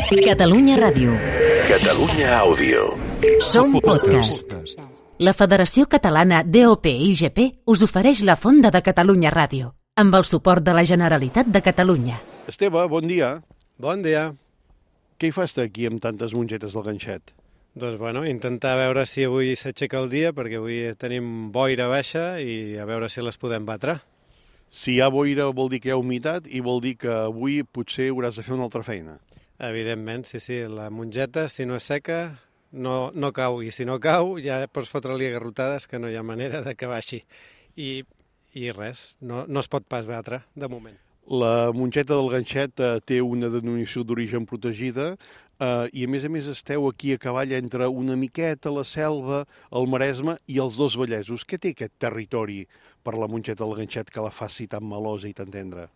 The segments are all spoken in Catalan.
Catalunya Ràdio. Catalunya Àudio. Som podcast. La Federació Catalana DOP-IGP us ofereix la Fonda de Catalunya Ràdio, amb el suport de la Generalitat de Catalunya. Esteve, bon dia. Bon dia. Què hi fas aquí amb tantes mongetes del ganxet? Doncs bueno, intentar veure si avui s'aixeca el dia, perquè avui tenim boira baixa i a veure si les podem batre. Si hi ha boira vol dir que hi ha humitat i vol dir que avui potser hauràs de fer una altra feina. Evidentment, sí. La mongeta, si no és seca, no cau. I si no cau, ja pots fotre-li garrotades que no hi ha manera de que baixi. I res, no es pot pas batre, de moment. La mongeta del ganxet té una denominació d'origen protegida i a més esteu aquí a cavall entre una miqueta la Selva, el Maresme i els dos Vallesos. Què té aquest territori per la mongeta del ganxet que la faci tan melosa i tan tendra?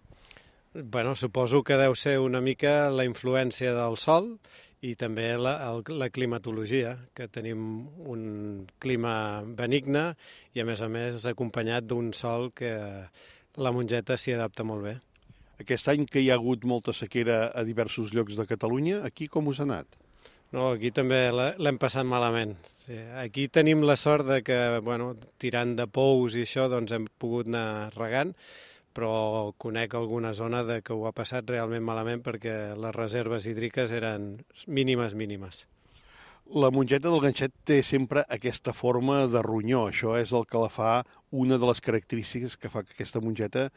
Bueno, suposo que deu ser una mica la influència del sol i també la climatologia, que tenim un clima benigne i a més acompanyat d'un sol que la mongeta s'hi adapta molt bé. Aquest any que hi ha hagut molta sequera a diversos llocs de Catalunya, aquí com us ha anat? No, aquí també l'hem passat malament. Sí, aquí tenim la sort de que, tirant de pous i això, doncs hem pogut anar regant, però conec alguna zona que ho ha passat realment malament perquè les reserves hídriques eren mínimes. La mongeta del ganxet té sempre aquesta forma de ronyó. Això és el que la fa una de les característiques que fa que aquesta mongeta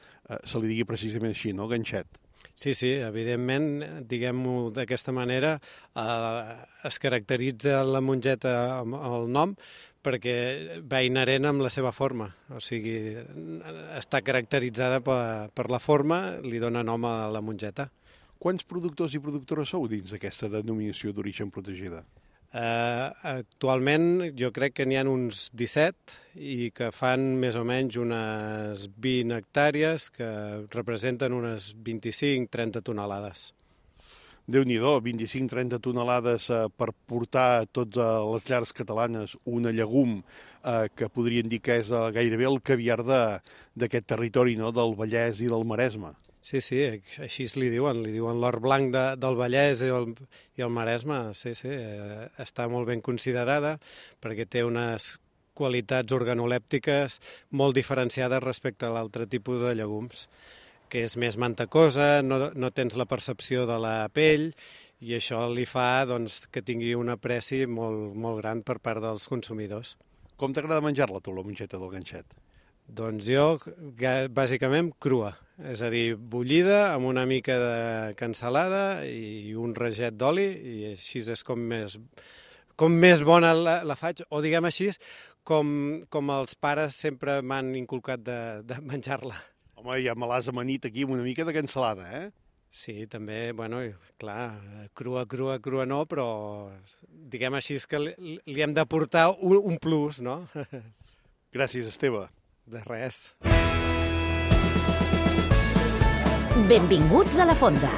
se li digui precisament així, no? Ganxet. Sí, evidentment, diguem-ho d'aquesta manera, es caracteritza la mongeta amb el nom perquè va inherent amb la seva forma, o sigui, està caracteritzada per la forma, li dona nom a la mongeta. Quants productors i productores sou dins d'aquesta denominació d'origen protegida? Actualment jo crec que n'hi ha uns 17 i que fan més o menys unes 20 hectàrees que representen unes 25-30 tonelades. Déu-n'hi-do, 25-30 tonelades per portar a totes les llars catalanes una llegum que podrien dir que és gairebé el caviar d'aquest territori, no?, del Vallès i del Maresme. Sí, així li diuen l'or blanc del Vallès i el Maresme, sí, està molt ben considerada perquè té unes qualitats organolèptiques molt diferenciades respecte a l'altre tipus de llegums, que és més mantecosa, no tens la percepció de la pell i això li fa que tingui un apreci molt gran per part dels consumidors. Com t'agrada menjar-la, tu, la mongeta del ganxet? Doncs jo, bàsicament, crua, és a dir, bullida amb una mica de cansalada i un raget d'oli i així és com més bona la faig, o diguem així, com els pares sempre m'han inculcat de menjar-la. Home, ja me l'has amanit aquí amb una mica de cansalada, eh? Sí, també, clar, crua no, però diguem així que li hem de portar un plus, no? Gràcies, Esteve. De res. Benvinguts a la Fonda,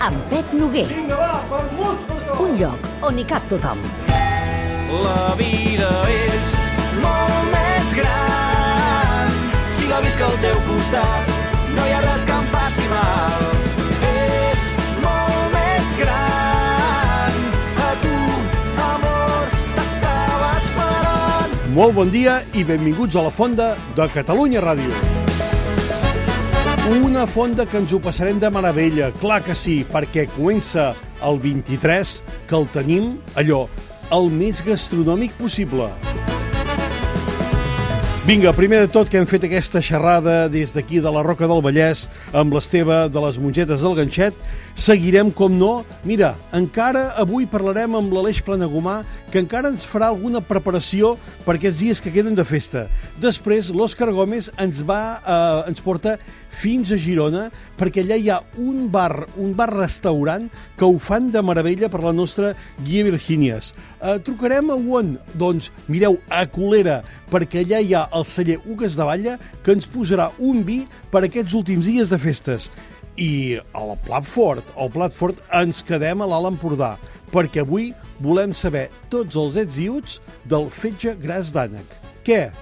amb Pep Noguer. Vinga, va, vermuts per tot! Un lloc on hi cap tothom. La vida és molt més gran si la visc al teu costat, no hi ha res que em faci mal. És molt més gran, a tu, amor, t'estava esperant. Molt bon dia i benvinguts a la Fonda de Catalunya Ràdio. Una fonda que ens ho passarem de meravella, clar que sí, perquè comença el 23, que el tenim, el més gastronòmic possible. Vinga, primer de tot que hem fet aquesta xerrada des d'aquí de la Roca del Vallès amb l'Esteve de les mongetes del ganxet, seguirem, com no. Mira, encara avui parlarem amb l'Aleix Planagumà, que encara ens farà alguna preparació per aquests dies que queden de festa. Després, l'Òscar Gómez ens porta fins a Girona, perquè allà hi ha un bar-restaurant que ho fan de meravella per la nostra guia Virgínies. Trucarem a on? Doncs, mireu, a Colera, perquè allà hi ha el celler Ugues de Valla, que ens posarà un vi per aquests últims dies de festes. I al Plat Fort ens quedem a l'Alt Empordà, perquè avui volem saber tots els ets i uts del fetge gras d'ànec. Què?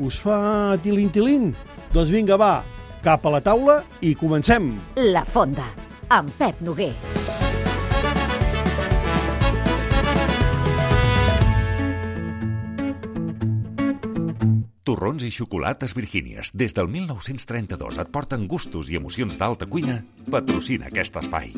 Us fa tilin-tilin? Doncs vinga, va, cap a la taula i comencem. La Fonda, amb Pep Noguer. torrons i xocolates Virgínies. Des del 1932 et porten gustos i emocions d'alta cuina. Patrocina aquest espai.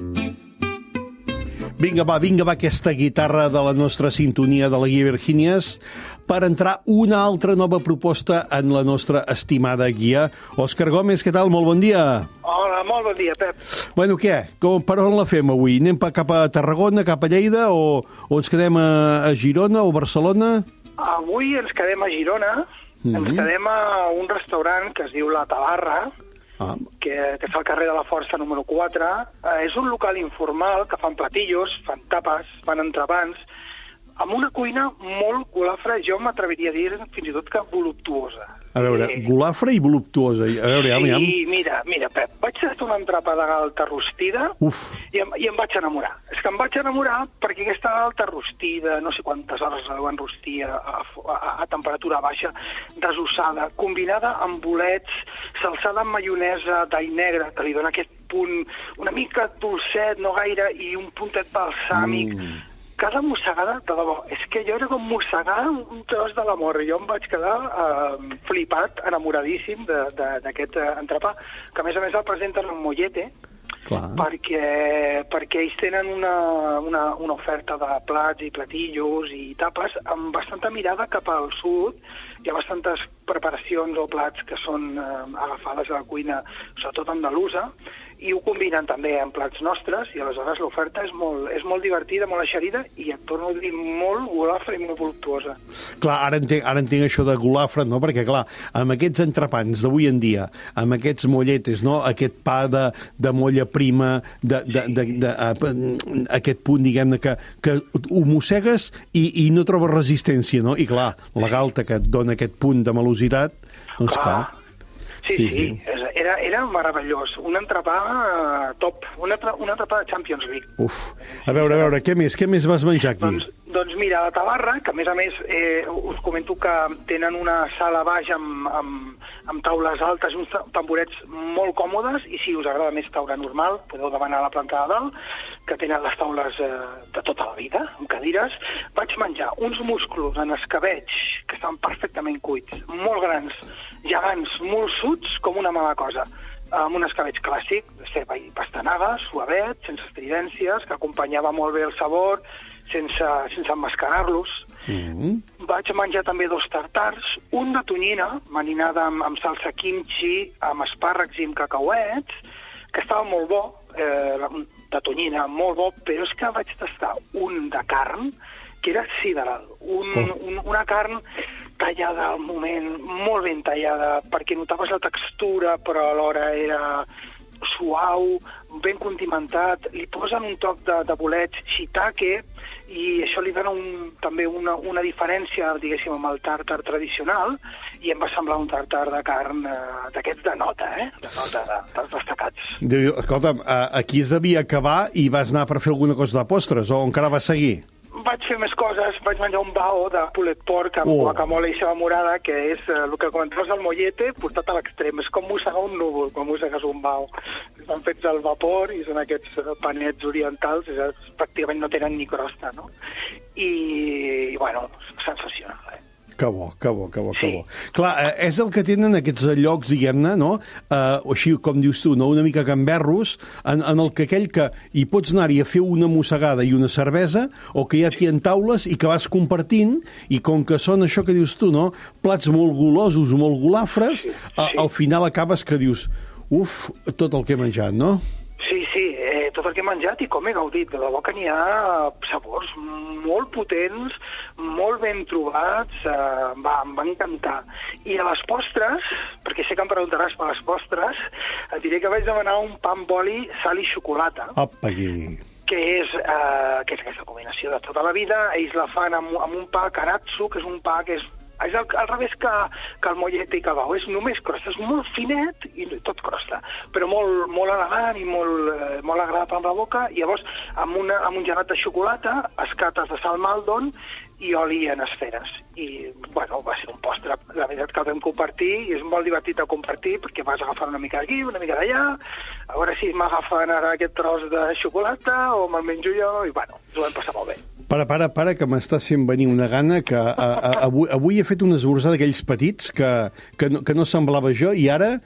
Vinga, va, aquesta guitarra de la nostra sintonia de la guia Virgínies per entrar una altra nova proposta en la nostra estimada guia. Òscar Gómez, què tal? Molt bon dia. Hola, molt bon dia, Pep. Bueno, què? Per on la fem avui? Anem cap a Tarragona, cap a Lleida o ens quedem a Girona o Barcelona? Avui ens quedem a Girona, ens quedem a un restaurant que es diu La Tabarra, que està al carrer de la Força número 4. És un local informal que fan platillos, fan tapes, fan entrepans, amb una cuina molt golafra, jo m'atreviria a dir fins i tot que voluptuosa. A veure, golafra i voluptuosa. A veure, sí, mira, Pep, vaig tastar una entrepa de galta rostida i em vaig enamorar. És que em vaig enamorar perquè aquesta galta rostida, no sé quantes hores la deuen rostir a temperatura baixa, desossada, combinada amb bolets, salsada amb maionesa d'all negre, que li dona aquest punt una mica dolcet, no gaire, i un puntet balsàmic. Cada mossegada, de debò, és que jo era com mossegar un tros de l'amor. Jo em vaig quedar flipat, enamoradíssim d'aquest entrepà, que a més el presenten en mollete, perquè ells tenen una oferta de plats i platillos i tapes amb bastanta mirada cap al sud. Hi ha bastantes preparacions o plats que són agafades a la cuina, sobretot andalusa, i ho combinen també amb plats nostres, i aleshores l'oferta és molt divertida, molt eixerida, i et torno a dir molt golafra i molt voluptuosa. Clar, ara entenc això de golafra, no? Perquè, clar, amb aquests entrepans d'avui en dia, amb aquests molletes, no? Aquest pa de molla prima, aquest punt, diguem-ne, que ho mossegues i no trobes resistència, no? I, clar, la galta que et dona aquest punt de malositat, doncs, clar. Sí. Era meravellós. Un entrepà top, un entrepà de Champions League. A veure, què més vas menjar aquí? Doncs mira, la Tabarra, que a més us comento que tenen una sala baix amb taules altes i uns tamborets molt còmodes, i si us agrada més taula normal, podeu demanar a la planta de dalt, que tenen les taules de tota la vida, amb cadires. Vaig menjar uns musclos en escabeig que estan perfectament cuits, molt grans, gegants, molt suts, com una mala cosa, amb un escabeig clàssic, de ceba i pastanaga, suavet, sense estridències, que acompanyava molt bé el sabor, sense emmascarar-los. Vaig menjar també 2 tartars, un de tonyina, marinada amb salsa kimchi, amb espàrrecs i amb cacauets, que estava molt bo, de tonyina, molt bo, però és que vaig tastar un de carn, que era sideral, una carn tallada al moment, molt ben tallada, perquè notaves la textura, però alhora era suau, ben condimentat, li posen un toc de bolets shiitake, i això li dona també una diferència, diguéssim, amb el tàrtar tradicional, i em va semblar un tàrtar de carn d'aquests de nota, de nota, dels destacats. Escolta'm, aquí es devia acabar i vas anar per fer alguna cosa de postres, o encara vas seguir? Vaig fer més coses, vaig menjar un bao de pulet porc amb guacamole i ceba morada, que és el que comentaves al mollete portat a l'extrem. És com mossegar un núvol quan mossegues un bao. Estan fets al vapor i són aquests panets orientals, pràcticament no tenen ni crosta, no? I bueno, sensacional, Que bo. Clar, és el que tenen aquests llocs, diguem-ne, no? Així com dius tu, no? Una mica gamberros, en el que aquell que hi pots anar-hi a fer una mossegada i una cervesa, o que ja t'hi ha taules i que vas compartint, i com que són això que dius tu, no? Plats molt golosos, molt golafres, al final acabes que dius, tot el que he menjat, no? Sí, tot el que he menjat i com he gaudit. De debò que n'hi ha sabors molt potents, molt ben trobats, em va encantar. I a les postres, perquè sé que em preguntaràs per les postres, et diré que vaig demanar un pa amb oli, sal i xocolata. Apa, aquí. Que és aquesta combinació de tota la vida. Ells la fan amb un pa karatsu, que és un pa que és al revés que el mollete i que el bao. És només crosta, és molt finet i tot crosta, però molt elegant i molt agradable amb la boca. I llavors, amb un gelat de xocolata, escates de sal Maldon i oli en esferes. I, bueno, va ser un postre, la veritat, que el vam compartir, i és molt divertit de compartir, perquè vas agafant una mica d'aquí, una mica d'allà, a veure si m'agafen ara aquest tros de xocolata o me'l menjo jo, i, bueno, ens ho vam passar molt bé. Para, que m'estàs fent venir una gana que avui he fet un esmorzar d'aquells petits que no semblava jo i ara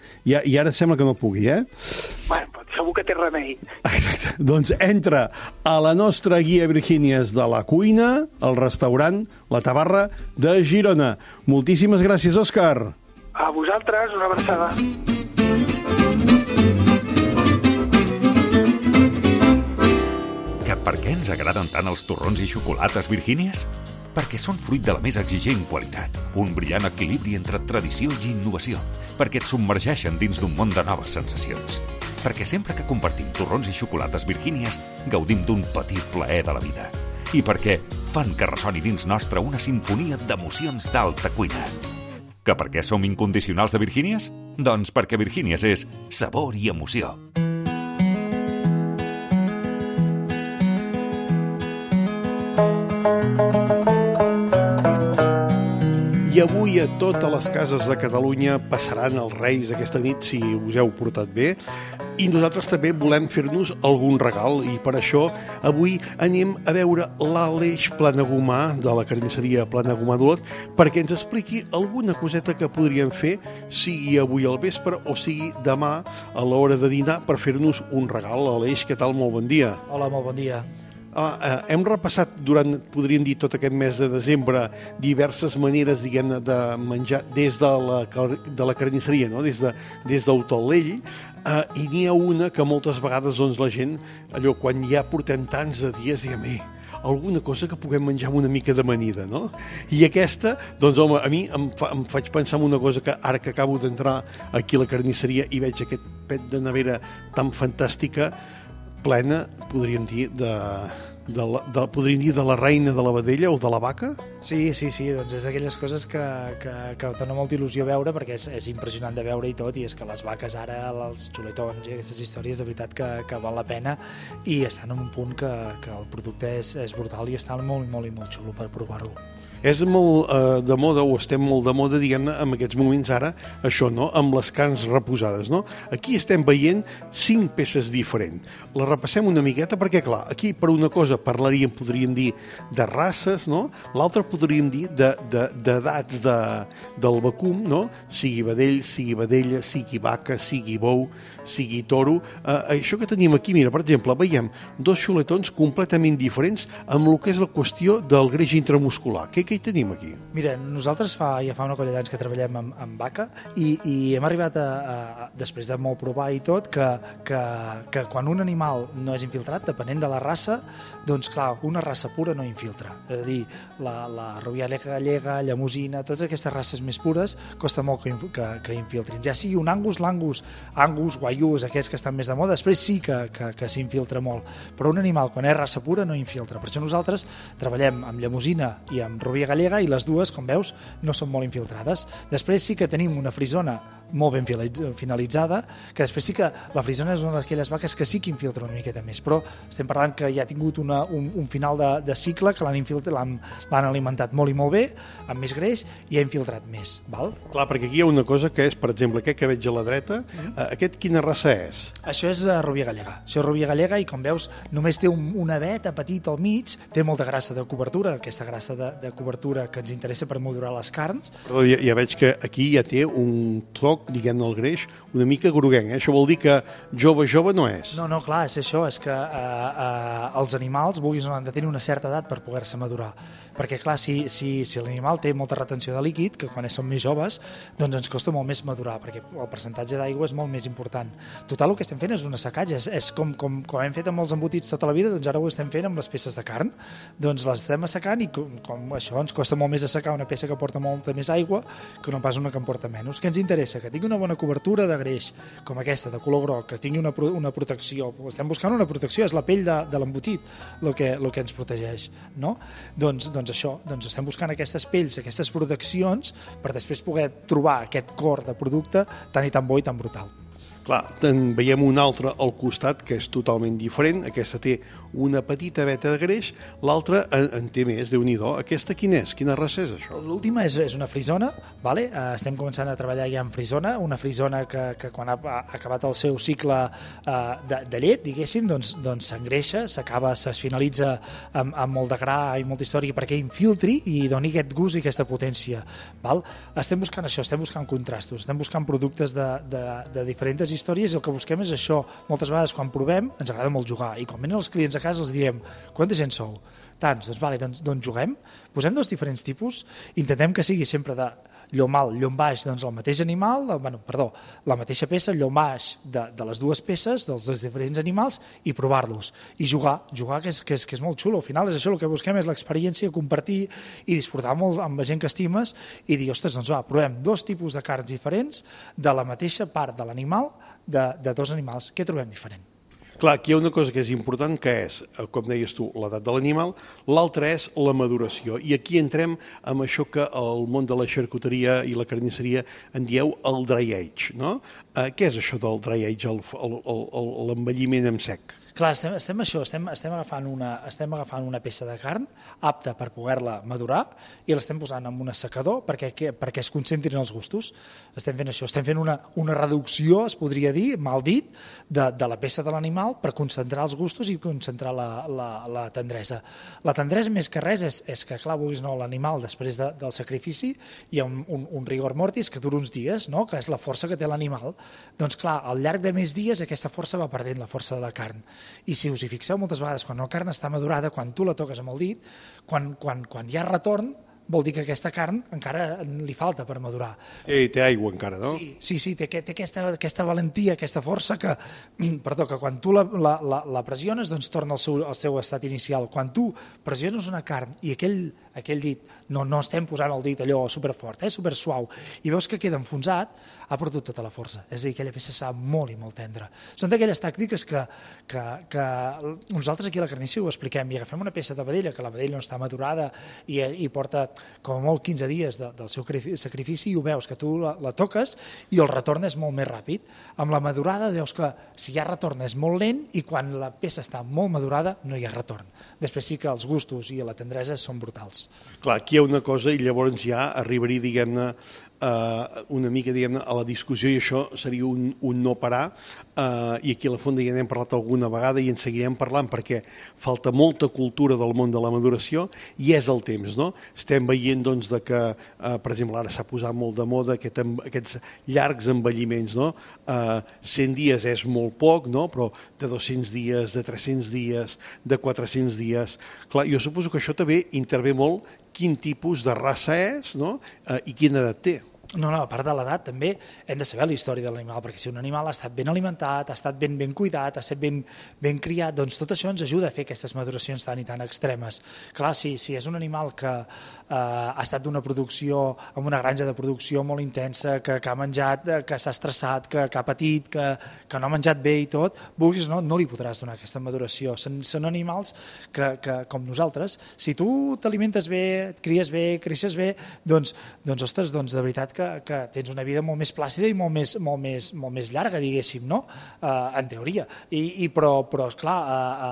sembla que no pugui, Bueno, segur que té remei. Exacte. Doncs entra a la nostra guia Virgínies de la cuina, al restaurant La Tabarra de Girona. Moltíssimes gràcies, Òscar. A vosaltres, una abraçada. Que per què ens agraden tant els torrons i xocolates Virgínies? Perquè són fruit de la més exigent qualitat, un brillant equilibri entre tradició i innovació, perquè et submergeixen dins d'un món de noves sensacions. Perquè sempre que compartim torrons i xocolates Virgínies gaudim d'un petit plaer de la vida. I perquè fan que ressoni dins nostre una sinfonia d'emocions d'alta cuina. Que per què som incondicionals de Virgínies? Doncs perquè Virgínies és sabor i emoció. I avui a totes les cases de Catalunya passaran els Reis aquesta nit, si us heu portat bé, i nosaltres també volem fer-nos algun regal, i per això avui anem a veure l'Aleix Planagumà, de la carnisseria Planagumà d'Olot, perquè ens expliqui alguna coseta que podríem fer, sigui avui al vespre o sigui demà a l'hora de dinar, per fer-nos un regal. Aleix, què tal? Molt bon dia. Hola, molt bon dia. Hem repassat durant, podríem dir, tot aquest mes de desembre diverses maneres, diguem-ne, de menjar des de la carnisseria, no? Des del Talell, i n'hi ha una que moltes vegades doncs, la gent, allò, quan ja portem tants dies, diem, alguna cosa que puguem menjar amb una mica d'amanida, no? I aquesta, doncs, home, a mi em faig pensar en una cosa que ara que acabo d'entrar aquí a la carnisseria i veig aquest pet de nevera tan fantàstica, plena, podríem dir, de la reina de la vedella o de la vaca? Sí, doncs és d'aquelles coses que dona molta il·lusió veure, perquè és impressionant de veure i tot, i és que les vaques ara, els xuletons i aquestes històries, de veritat que val la pena, i estan en un punt que el producte és brutal i està molt xulo per provar-ho. És molt de moda, o estem molt de moda, diguem-ne, en aquests moments ara, això, no?, amb les carns reposades, no? Aquí estem veient 5 peces diferents. Les repassem una miqueta perquè, clar, aquí per una cosa podríem dir, de races, no? L'altra podríem dir d'edats del vacum, no? Sigui vedell, sigui vedella, sigui vaca, sigui bou, sigui toro. Això que tenim aquí, mira, per exemple, veiem 2 xuletons completament diferents amb el que és la qüestió del greix intramuscular. Què hi tenim aquí? Mira, nosaltres ja fa una colla d'anys que treballem amb vaca i hem arribat després de molt provar i tot, que quan un animal no és infiltrat, depenent de la raça, doncs clar, una raça pura no infiltra. És a dir, la rovialia gallega, llemosina, totes aquestes races més pures, costa molt que infiltrin. Ja sigui un Angus, guaiús, aquests que estan més de moda, després sí que s'infiltra molt. Però un animal, quan és raça pura, no infiltra. Per això nosaltres treballem amb llemosina i amb rovia gallega, i les dues, com veus, no són molt infiltrades. Després sí que tenim una frisona molt ben finalitzada, que després sí que la frisona és una d'aquelles vaques que sí que infiltra una miqueta més, però estem parlant que ja ha tingut un final de cicle, que l'han alimentat molt i molt bé, amb més greix, i ha infiltrat més. Val? Clar, perquè aquí hi ha una cosa que és, per exemple, aquest que veig a la dreta, aquest quina raça és? Això és rovia gallega. Això és rovia gallega i, com veus, només té una veta petita al mig, té molta grassa de cobertura, aquesta grassa de cobertura que ens interessa per madurar les carns. Però ja veig que aquí ja té un toc, diguem-ne, el greix una mica groguenc. Això vol dir que jove no és. No, clar, és això, és que els animals, vulguis o no, han de tenir una certa edat per poder-se madurar. Perquè, clar, si l'animal té molta retenció de líquid, que quan són més joves, doncs ens costa molt més madurar, perquè el percentatge d'aigua és molt més important. Total, el que estem fent és un assecatge, és com hem fet amb els embotits tota la vida, doncs ara ho estem fent amb les peces de carn. Doncs les estem assecant i com això ens costa molt més assecar una peça que porta molta més aigua que no pas una que en porta menys. Què ens interessa? Que tingui una bona cobertura de greix, com aquesta, de color groc, que tingui una protecció. Estem buscant una protecció, és la pell de l'embotit el que ens protegeix, no? Doncs això, estem buscant aquestes pells, aquestes proteccions, per després poder trobar aquest cor de producte tan i tan bo i tan brutal. Clar, en veiem un altre al costat que és totalment diferent. Aquesta té una petita veta de greix, l'altra en té més, Déu-n'hi-do. Aquesta quina és? Quina raça és això? L'última és una frisona, vale? Estem començant a treballar ja en frisona, una frisona que quan ha acabat el seu cicle de llet, diguéssim, doncs s'engreixa, es finalitza amb molt de gra i molta història perquè infiltri i doni aquest gust i aquesta potència. Val? Estem buscant això, estem buscant contrastos, estem buscant productes de diferents històries i el que busquem és això. Moltes vegades quan provem ens agrada molt jugar i quan venen els clients a casa els diem quanta gent sou? Tants, doncs juguem, posem dos diferents tipus, intentem que sigui sempre de llom alt, llom baix, doncs el mateix animal, la mateixa peça, llom baix de les dues peces, dels dos diferents animals, i provar-los. I jugar que és molt xulo. Al final és això, el que busquem és l'experiència, compartir i disfrutar molt amb la gent que estimes i dir, ostres, doncs va, provem dos tipus de carns diferents de la mateixa part de l'animal, de dos animals. Què trobem diferent? Clar, aquí hi ha una cosa que és important, que és, com deies tu, l'edat de l'animal, l'altra és la maduració. I aquí entrem amb això que el món de la xarcuteria i la carnisseria en dieu el dry age, no? Què és això del dry age, l'envelliment en sec? Clar, estem agafant una peça de carn apta per poder-la madurar i l'estem posant en un assecador perquè es concentrin els gustos. Estem fent això, estem fent una reducció, es podria dir, mal dit, de la peça de l'animal per concentrar els gustos i concentrar la tendresa. La tendresa, més que res, és que, clar, vulguis no, l'animal, després del sacrifici, hi ha un rigor mortis que dura uns dies, no? Que és la força que té l'animal. Doncs, clar, al llarg de més dies aquesta força va perdent, la força de la carn. I si us hi fixeu moltes vegades, quan la carn està madurada, quan tu la toques amb el dit, quan hi ha retorn, vol dir que aquesta carn encara li falta per madurar. Té aigua encara, no? Sí, té aquesta valentia, aquesta força que quan tu la pressiones, doncs torna al seu estat inicial. Quan tu pressiones una carn i aquell dit, no estem posant el dit allò superfort, super suau, i veus que queda enfonsat, ha perdut tota la força. És a dir, aquella peça serà molt i molt tendra. Són d'aquelles tàctiques que nosaltres aquí a la carnisseria ho expliquem i agafem una peça de vedella, que la vedella no està madurada i porta com a molt 15 dies del seu sacrifici i ho veus, que tu la toques i el retorn és molt més ràpid. Amb la madurada veus que si hi ha retorn és molt lent i quan la peça està molt madurada no hi ha retorn. Després sí que els gustos i la tendresa són brutals. Clar, aquí hi ha una cosa i llavors ja arribaria, diguem-ne, una mica, diguem-ne, a la discussió i això seria un no parar i aquí a la Fonda ja n'hem parlat alguna vegada i en seguirem parlant perquè falta molta cultura del món de la maduració i és el temps, no? Estem veient doncs que, per exemple, ara s'ha posat molt de moda aquests llargs envelliments, no? 100 dies és molt poc, no? Però de 200 dies, de 300 dies, de 400 dies... Clar, jo suposo que això també intervé molt quin tipus de raça és, no? I quina edat té. No, a part de l'edat també hem de saber la història de l'animal, perquè si un animal ha estat ben alimentat, ha estat ben cuidat, ha estat ben criat, doncs tot això ens ajuda a fer aquestes maduracions tan i tan extremes. Clar, si és un animal que ha estat d'una producció, amb una granja de producció molt intensa, que ha menjat, que s'ha estressat, que ha patit, que no ha menjat bé i tot, vulguis o no li podràs donar aquesta maduració. Són animals que, com nosaltres, si tu t'alimentes bé, et cries bé, creixes bé, doncs ostres, de veritat que tens una vida molt més plàcida i molt més llarga, diguéssim, no? En teoria. Però esclar,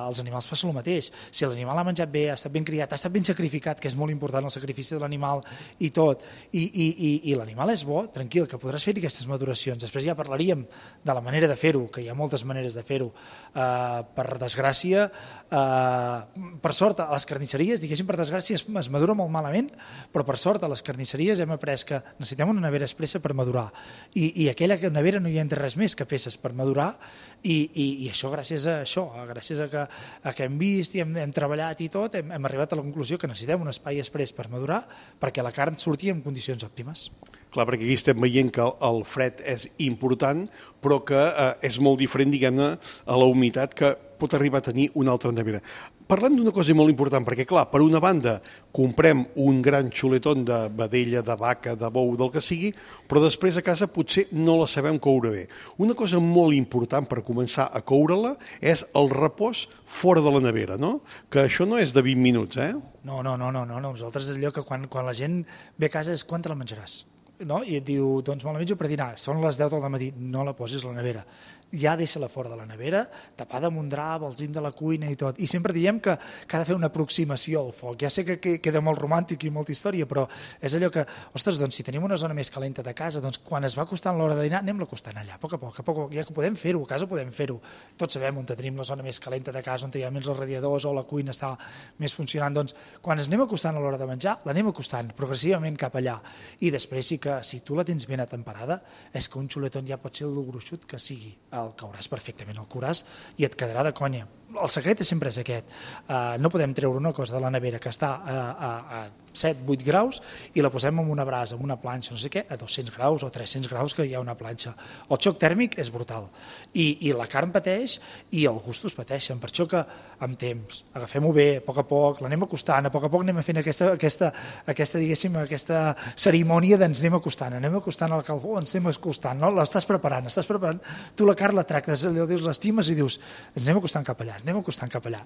els animals passa el mateix. Si l'animal ha menjat bé, ha estat ben criat, ha estat ben sacrificat, que és molt important el sacrifici de l'animal i tot, i l'animal és bo, tranquil, que podràs fer aquestes maduracions. Després ja parlaríem de la manera de fer-ho, que hi ha moltes maneres de fer-ho. Per desgràcia, per sort, a les carnisseries, diguéssim, per desgràcia, es madura molt malament, però per sort a les carnisseries hem après que necessitem una nevera expressa per madurar i aquella nevera no hi entra res més que peces per madurar i això gràcies a que hem vist i hem treballat i tot hem arribat a la conclusió que necessitem un espai express per madurar perquè la carn surti en condicions òptimes. Clar, perquè aquí estem veient que el fred és important, però que és molt diferent, diguem-ne, a la humitat que pot arribar a tenir una altra nevera. Parlem d'una cosa molt important, perquè, clar, per una banda, comprem un gran xuletón de vedella, de vaca, de bou, del que sigui, però després a casa potser no la sabem coure bé. Una cosa molt important per començar a coure-la és el repòs fora de la nevera, no? Que això no és de 20 minuts, eh? No. Nosaltres allò que quan la gent ve a casa és quan te la menjaràs. No? I et diu, doncs me la menjo per dinar, són les 10 del matí, no la posis a la nevera. ja deixa-la fora de la nevera, tapada amb un drap, al cim de la cuina i tot. I sempre diem que ha de fer una aproximació al foc. Ja sé que queda molt romàntic i molta història, però és allò que, ostres, doncs si tenim una zona més calenta de casa, doncs quan es va acostant l'hora de dinar, anem-la acostant allà, a poc a poc, ja que podem fer-ho, a casa podem fer-ho. Tots sabem on tenim la zona més calenta de casa, on hi ha més els radiadors o la cuina està més funcionant. Doncs quan ens anem acostant a l'hora de menjar, l'anem acostant progressivament cap allà. I després sí que, si tu la tens ben atemperada, és que un xuletón ja pot ser el gruixut que sigui. El cauràs perfectament, el curàs, i et quedarà de conya. El secret sempre és aquest. No podem treure una cosa de la nevera que està a 7-8 graus i la posem en una brasa, en una planxa, no sé què, a 200 graus o 300 graus que hi ha una planxa. El xoc tèrmic és brutal. I la carn pateix i els gustos pateixen. Per això que, amb temps, agafem-ho bé, a poc, l'anem acostant, a poc anem fent aquesta cerimònia d'ens anem acostant al carbó, ens anem acostant, no? L'estàs preparant, tu la carn la tractes, allò dius, l'estimes i dius, ens anem acostant cap allà,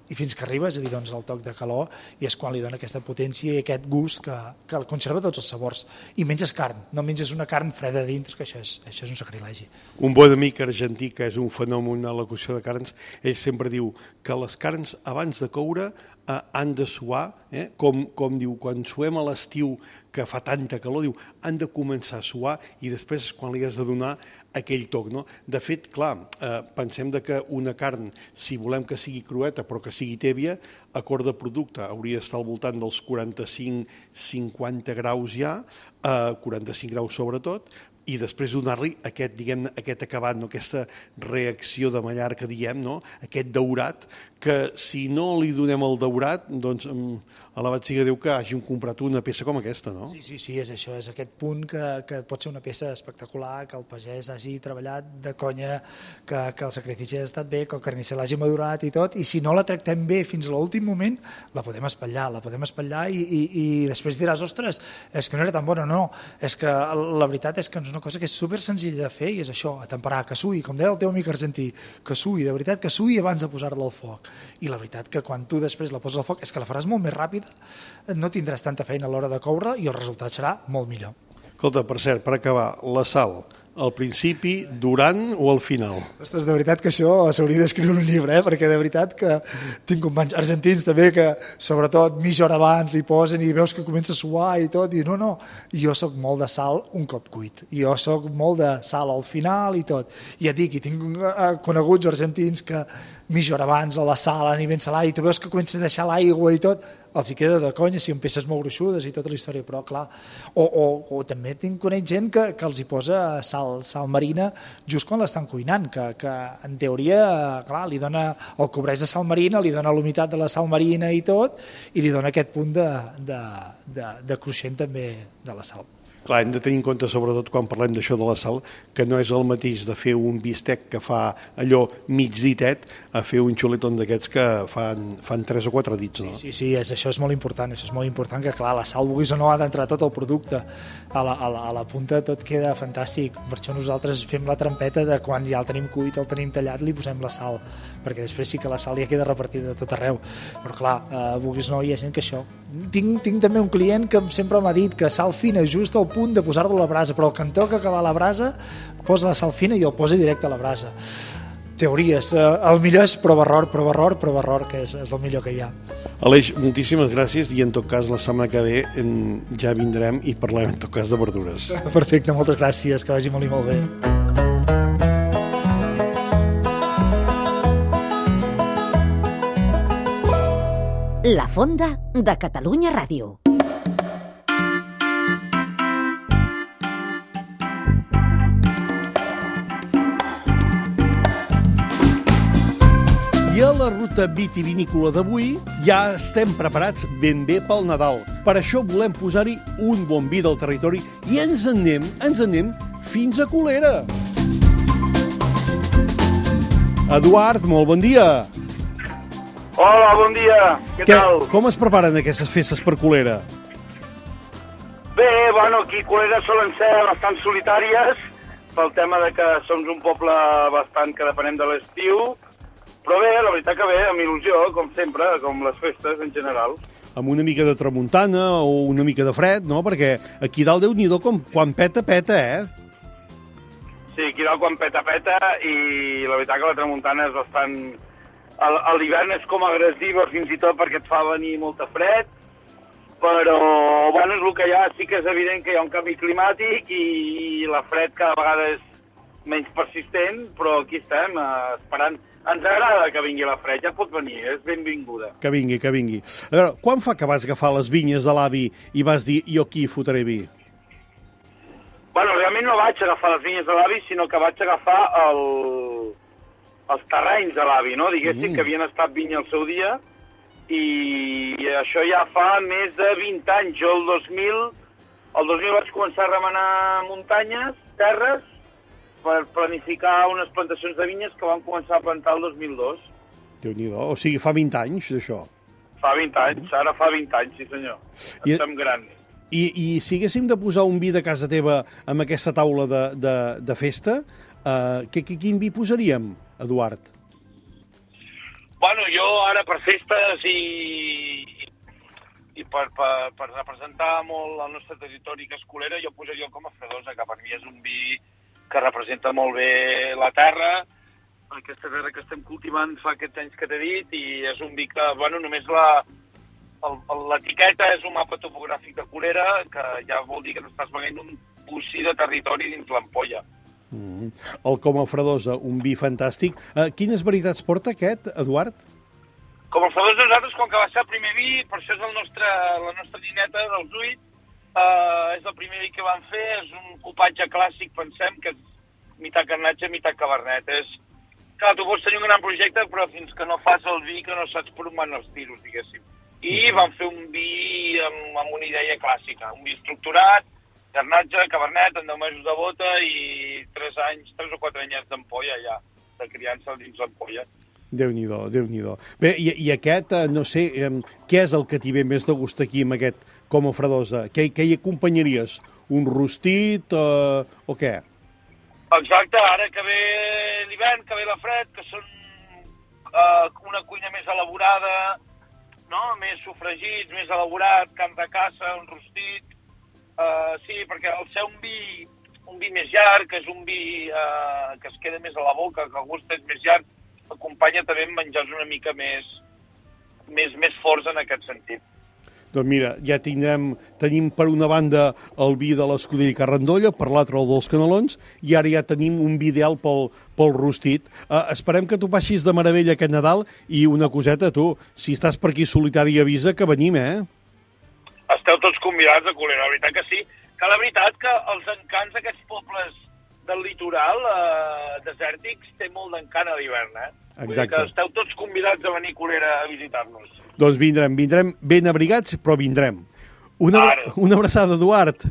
i fins que arribes i li dones el toc de calor i és quan li dona aquesta potència i aquest gust que conserva tots els sabors. I menges carn, no menges una carn freda dins, que això és un sacrilegi. Un bon amic argentí, que és un fenomen a la cocció de carns, ell sempre diu que les carns abans de coure han de suar, com diu, quan suem a l'estiu que fa tanta calor, diu, han de començar a suar i després és quan li has de donar aquell toc, no? De fet, clar, pensem que una carn, si volem que sigui crueta però que sigui tèbia, acord de producte hauria d'estar al voltant dels 45-50 graus ja, 45 graus sobretot, i després donar-li aquest acabat, aquesta reacció de mallar que diem, aquest daurat, que si no li donem el daurat, doncs alabat siga Déu que hàgim comprat una peça com aquesta, no? Sí, és això, és aquest punt que pot ser una peça espectacular, que el pagès hagi treballat de conya, que el sacrifici ha estat bé, que el carnisser l'hagi madurat i tot, i si no la tractem bé fins a l'últim moment, la podem espatllar i després diràs, ostres, és que no era tan bona, no, és que la veritat és que és una cosa que és super senzilla de fer i és això, atemperar, que sui, com deia el teu amic argentí, que sui, de veritat que sui abans de posar-la al foc. I la veritat que quan tu després la poses al foc és que la faràs molt més ràpida, no tindràs tanta feina a l'hora de coure i el resultat serà molt millor. Escolta, per cert, per acabar, la sal, al principi, durant o al final? Ostres, de veritat que això s'hauria d'escriure un llibre, perquè de veritat que tinc companys argentins també que sobretot mitja hora abans hi posen i veus que comença a suar i tot, i no, jo soc molt de sal un cop cuit, jo soc molt de sal al final i tot, i ja et dic, i tinc coneguts argentins que mitja hora abans a la sal, a nivell salat, i tu veus que comença a deixar l'aigua i tot, els hi queda de conya si en peces molt gruixudes i tota la història, però clar, o també conec gent que els hi posa sal marina just quan l'estan cuinant, que en teoria, clar, li dona el cobreix de sal marina, li dona l'humitat de la sal marina i tot, i li dona aquest punt de cruixent també de la sal. Clar, hem de tenir en compte, sobretot quan parlem d'això de la sal, que no és el mateix de fer un bistec que fa allò mig ditet a fer un xuletón d'aquests que fan 3 o 4 dits, no? Sí, això és molt important, que clar, la sal, vulguis o no, ha d'entrar tot el producte. A la punta tot queda fantàstic, per això nosaltres fem la trampeta de quan ja el tenim cuit, el tenim tallat, li posem la sal, perquè després sí que la sal ja queda repartida de tot arreu. Però clar, vulguis o no, hi ha gent que això... Tinc també un client que sempre m'ha dit que sal fina just al punt de posar-lo a la brasa, però el que en toca acabar la brasa posa la sal fina i el posa directe a la brasa. Teories, el millor és prova error, que és el millor que hi ha. Aleix, moltíssimes gràcies i en tot cas la setmana que ve ja vindrem i parlarem en tot cas de verdures. Perfecte, moltes gràcies, que vagi molt i molt bé. La Fonda de Catalunya Ràdio. I a la ruta vitivinícola d'avui ja estem preparats ben bé pel Nadal. Per això volem posar-hi un bon vi del territori i ens en anem fins a Colera. Eduard, molt bon dia. Hola, bon dia. Què tal? Com es preparen aquestes festes per Colera? Bé, aquí a Colera solen ser bastant solitàries pel tema de que som un poble bastant que depenem de l'estiu, però bé, la veritat que bé, amb il·lusió, com sempre, com les festes en general. Amb una mica de tramuntana o una mica de fred, no? Perquè aquí dalt, Déu-n'hi-do, quan peta, eh? Sí, aquí dalt quan peta, i la veritat que la tramuntana és bastant... A l'hivern és com agressiva fins i tot perquè et fa venir molta fred, però, bueno, és el que hi ha. Sí que és evident que hi ha un canvi climàtic i la fred cada vegada és menys persistent, però aquí estem esperant. Ens agrada que vingui la fred, ja pot venir, és benvinguda. Que vingui. A veure, quan fa que vas agafar les vinyes de l'avi i vas dir, jo aquí fotré vi? Bueno, realment no vaig agafar les vinyes de l'avi, sinó que vaig agafar els terrenys de l'avi, no? Diguéssim que havien estat vinya al seu dia, i això ja fa més de 20 anys. Jo el 2000 vaig començar a remenar muntanyes, terres, per planificar unes plantacions de vinyes que vam començar a plantar el 2002. Déu-n'hi-do, o sigui, fa 20 anys d'això. Fa 20 anys, ara fa 20 anys, sí senyor. Estem grans. I si haguéssim de posar un vi de casa teva amb aquesta taula de festa, quin vi posaríem, Eduard? Bueno, jo ara per festes i per representar molt el nostre territori, que és Colera, jo posaria el Coma Fredosa, que per mi és un vi que representa molt bé la terra, aquesta terra que estem cultivant fa aquests anys que t'he dit, i és un vi que, bueno, només l'etiqueta és un mapa topogràfic de Colera, que ja vol dir que t'estàs veient un bocí de territori dins l'ampolla. El Coma Fredosa, un vi fantàstic. Quines varietats porta aquest, Eduard? Coma Fredosa, nosaltres, com que va ser el primer vi, per això és la nostra nineta dels 8, és el primer vi que vam fer, és un copatge clàssic, pensem, que és mitat garnatge, mitat cabernet. Clar, tu pots tenir un gran projecte, però fins que no fas el vi, que no saps per on van els tiros, diguéssim. I vam fer un vi amb una idea clàssica, un vi estructurat, garnatge, cabernet, en 10 mesos de bota i 3 o 4 anyets d'ampolla ja, de criança dins l'ampolla. Déu-n'hi-do. Bé, i aquest, no sé, què és el que t'hi ve més de gust aquí amb aquest Coma Fredosa? Què hi acompanyaries? Un rostit o què? Exacte, ara que ve l'hivern, que ve la fred, que són una cuina més elaborada, no? Més sofregits, més elaborat, carn de caça, un rostit. Sí, perquè al ser un vi més llarg, que és un vi que es queda més a la boca, que el gust és més llarg, acompanya també amb menjars una mica més forts en aquest sentit. Doncs mira, ja tenim per una banda el vi de l'Escudella Carrandolla, per l'altra el dels Canelons, i ara ja tenim un vi ideal pel rostit. Esperem que tu passis de meravella aquest Nadal, i una coseta, tu, si estàs per aquí solitari avisa que venim, Esteu tots convidats a Colera, la veritat que sí. Que la veritat que els encants d'aquests pobles del litoral desèrtics té molt d'encant a l'hivern, Exacte. Vull dir que esteu tots convidats a venir a Colera a visitar-nos. Doncs vindrem ben abrigats, però vindrem. Una abraçada, Eduard.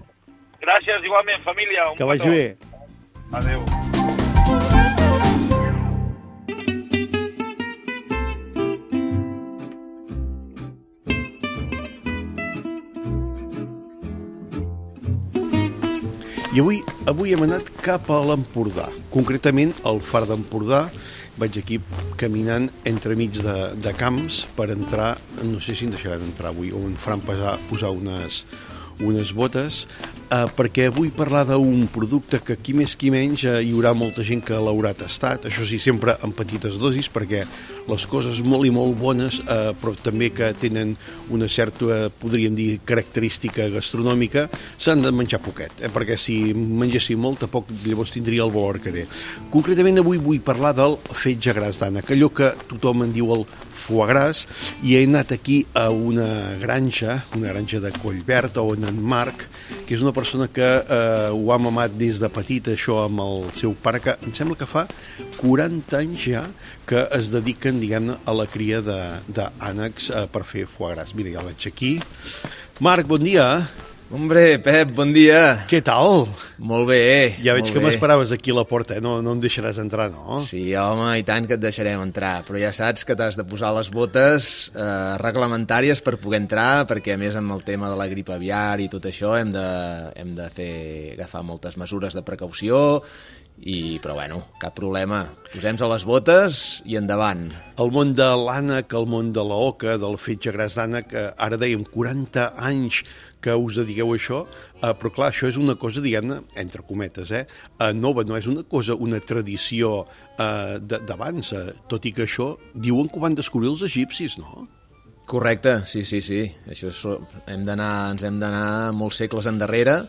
Gràcies, igualment, família. Que vagi bé. Adéu. I avui hem anat cap a l'Empordà, concretament al Far d'Empordà. Vaig aquí caminant entremig de camps per entrar, no sé si em deixaran entrar avui, o em faran posar unes botes, perquè vull parlar d'un producte que qui més qui menys hi haurà molta gent que l'haurà tastat, això sí, sempre en petites dosis, perquè les coses molt i molt bones, però també que tenen una certa, podríem dir, característica gastronòmica, s'han de menjar poquet, perquè si mengessin molt, tampoc llavors tindria el valor que té. Concretament avui vull parlar del fetge gras d'ànec, allò que tothom en diu el foie gras, i he anat aquí a una granja de Collverd, on en Marc, que és una persona que ho ha mamat des de petit, això amb el seu pare, que em sembla que fa 40 anys ja que es dediquen, diguem-ne, a la cria d'ànecs per fer foie gras. Mira, ja el veig aquí. Marc, bon dia. Hombre, Pep, bon dia. Què tal? Molt bé. Ja veig que m'esperaves aquí a la porta, no em deixaràs entrar, no? Sí, home, i tant que et deixarem entrar, però ja saps que t'has de posar les botes reglamentàries per poder entrar, perquè a més amb el tema de la grip aviar i tot això hem de agafar moltes mesures de precaució Però bueno, cap problema. Posem-nos a les botes i endavant. El món de l'ànec, el món de l'oca, del fetge gras d'ànec, ara dèiem 40 anys que us dediqueu a això, però clar, això és una cosa, diguem-ne, entre cometes, nova, no és una cosa, una tradició d'abans, tot i que això diuen que ho van descobrir els egipcis, no? Correcte, sí. Això ens hem d'anar molts segles endarrere.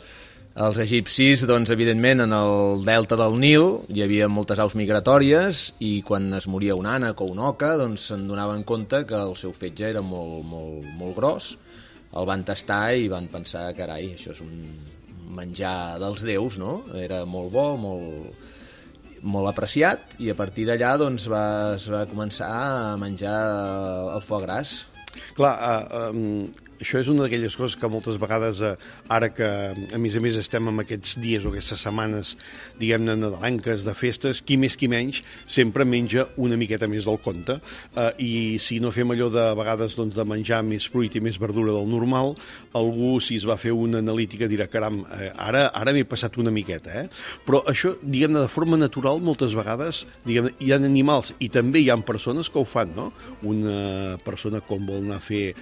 Els egipcis, doncs, evidentment, en el delta del Nil hi havia moltes aus migratòries i quan es moria un ànec o una oca, doncs se'n donaven compte que el seu fetge era molt gros. El van tastar i van pensar, carai, això és un menjar dels déus, no? Era molt bo, molt apreciat, i a partir d'allà doncs, es va començar a menjar el foie gras. Clar, això és una d'aquelles coses que moltes vegades, ara que a més estem en aquests dies o aquestes setmanes, diguem-ne, nadalenques, de festes, qui més qui menys sempre menja una miqueta més del compte, i si no fem allò de vegades doncs, de menjar més fruit i més verdura del normal, algú, si es va fer una analítica, dirà, caram, ara m'he passat una miqueta, Però això, diguem-ne, de forma natural, moltes vegades, diguem-ne, hi ha animals i també hi ha persones que ho fan, no? Una persona com vol anar a fer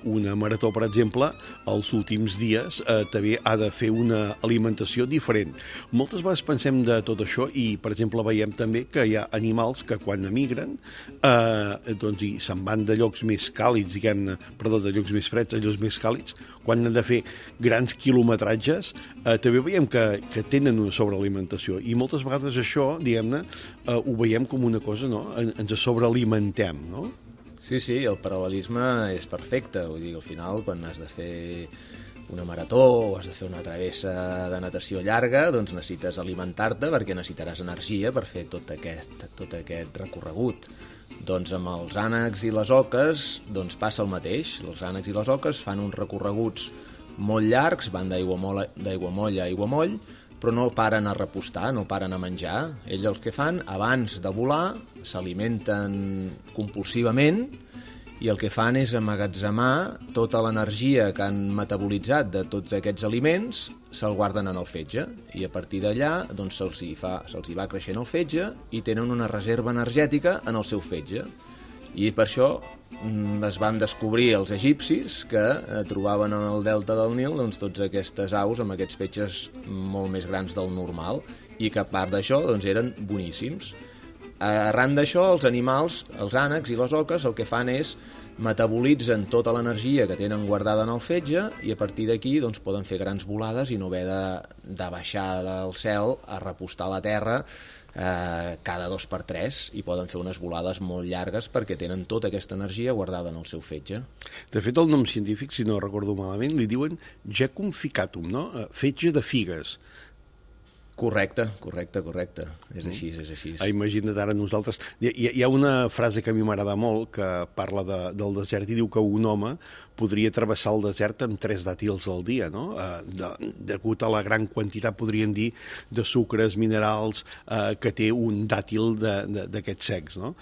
una marató, per exemple, els últims dies també ha de fer una alimentació diferent. Moltes vegades pensem de tot això i, per exemple, veiem també que hi ha animals que quan emigren doncs, i se'n van de llocs més càlids, de llocs més freds a llocs més càlids, quan han de fer grans quilometratges, també veiem que tenen una sobrealimentació i moltes vegades això, diguem-ne, ho veiem com una cosa, no? Ens sobrealimentem, no? Sí, el paral·lelisme és perfecte. Vull dir, al final, quan has de fer una marató o has de fer una travessa de natació llarga, doncs necessites alimentar-te perquè necessitaràs energia per fer tot aquest recorregut. Doncs amb els ànecs i les oques doncs passa el mateix. Els ànecs i les oques fan uns recorreguts molt llargs, van d'aiguamoll a aiguamoll, però no paren a repostar, no paren a menjar. Ells el que fan, abans de volar, s'alimenten compulsivament i el que fan és emmagatzemar tota l'energia que han metabolitzat de tots aquests aliments, se'l guarden en el fetge i a partir d'allà doncs, se'ls hi va creixent el fetge i tenen una reserva energètica en el seu fetge. I per això es van descobrir els egipcis que trobaven en el delta del Nil doncs, tots aquestes aus amb aquests fetges molt més grans del normal i que a part d'això doncs, eren boníssims. Arran d'això, els animals, els ànecs i les oques, el que fan és metabolitzen tota l'energia que tenen guardada en el fetge i a partir d'aquí doncs, poden fer grans volades i no haver de baixar del cel a repostar a la terra cada 2 per 3 i poden fer unes volades molt llargues perquè tenen tota aquesta energia guardada en el seu fetge. De fet, el nom científic, si no recordo malament, li diuen Jecum ficatum, no? Fetge de figues. Correcte. És així. Imagina't ara nosaltres... Hi ha una frase que a mi m'agrada molt que parla del desert i diu que un home podria travessar el desert amb 3 dàtils al dia, no? Degut a la gran quantitat, podríem dir, de sucres, minerals que té un dàtil d'aquests secs, no?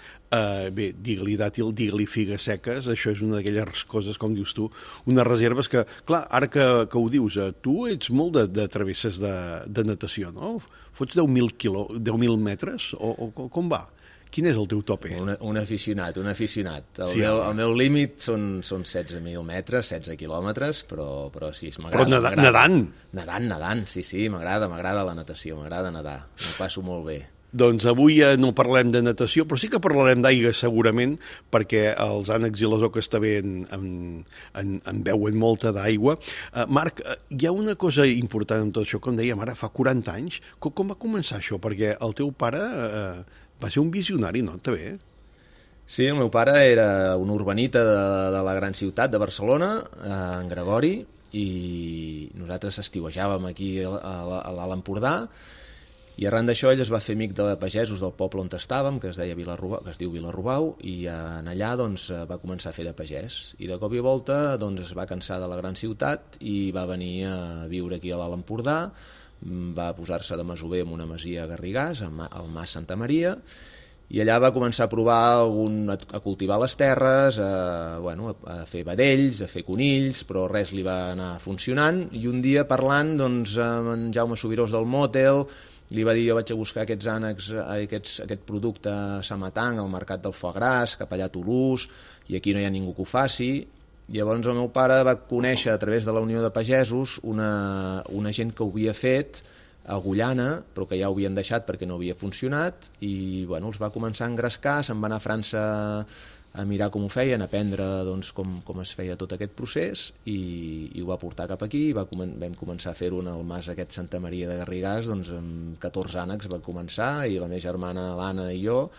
Bé, digue-li dàtil, digue-li figues seques, això és una d'aquelles coses, com dius tu, unes reserves que, clar, ara que ho dius, tu ets molt de travesses de natació, no? Fots 10.000 metres? O com va? Quin és el teu tope? Un aficionat. El meu límit són 16.000 metres, 16 quilòmetres, però sí, m'agrada. Però nedant? Nedant, sí, m'agrada la natació, m'agrada nedar, m'ho passo molt bé. Doncs avui no parlarem de natació, però sí que parlarem d'aigua segurament, perquè els ànecs i les oques també en beuen molta d'aigua. Marc, hi ha una cosa important en tot això, com dèiem ara, fa 40 anys. Com va començar això? Perquè el teu pare va ser un visionari, no? També. Sí, el meu pare era un urbanita de la gran ciutat de Barcelona, en Gregori, i nosaltres estiuejàvem aquí a l'Alt Empordà, i arran d'això ell es va fer amic de pagesos del poble on estàvem, que es diu Vilarrobau, i allà doncs, va començar a fer de pagès. I de cop i volta doncs, es va cansar de la gran ciutat i va venir a viure aquí a l'Alt Empordà, va posar-se de masover en una masia a Garrigàs, al Mas Santa Maria, i allà va començar a provar a cultivar les terres, a fer vedells, a fer conills, però res li va anar funcionant, i un dia parlant doncs, amb en Jaume Subirós del Motel li va dir jo vaig a buscar aquests ànecs, aquest producte a Samatang, al mercat del foie gras, cap allà a Toulouse, i aquí no hi ha ningú que ho faci. Llavors el meu pare va conèixer a través de la Unió de Pagesos una gent que ho havia fet a Agullana, però que ja ho havien deixat perquè no havia funcionat, i bueno, els va començar a engrescar, se'n va anar a França a mirar com ho feien, a aprendre doncs, com es feia tot aquest procés, i ho va portar cap aquí, vam començar a fer-ho en el mas aquest Santa Maria de Garrigàs, doncs amb 14 ànecs va començar, i la meva germana l'Anna i jo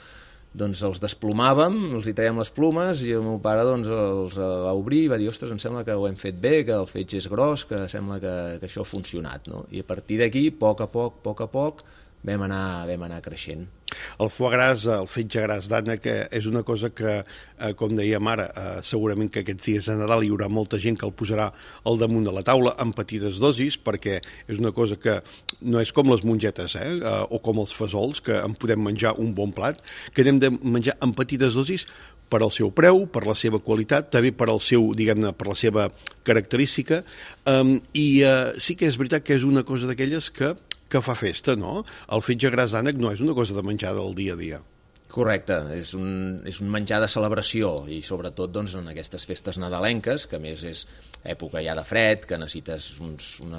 doncs els desplomàvem, els hi traiem les plomes, i el meu pare doncs, els va obrir i va dir, ostres, em sembla que ho hem fet bé, que el fetge és gros, que sembla que això ha funcionat, no? I a partir d'aquí, a poc a poc, vam anar creixent. El foie gras, el fetge gras d'ànec, és una cosa que, com dèiem ara, segurament que aquests dies de Nadal hi haurà molta gent que el posarà al damunt de la taula en petites dosis, perquè és una cosa que no és com les mongetes, o com els fesols, que en podem menjar un bon plat, que hem de menjar en petites dosis per al seu preu, per la seva qualitat, també per al seu, diguem-ne, per la seva característica, i sí que és veritat que és una cosa d'aquelles que fa festa, no? El fetge gras d'ànec no és una cosa de menjar del dia a dia. Correcte, és un menjar de celebració, i sobretot doncs, en aquestes festes nadalenques, que a més és època ja de fred, que necessites un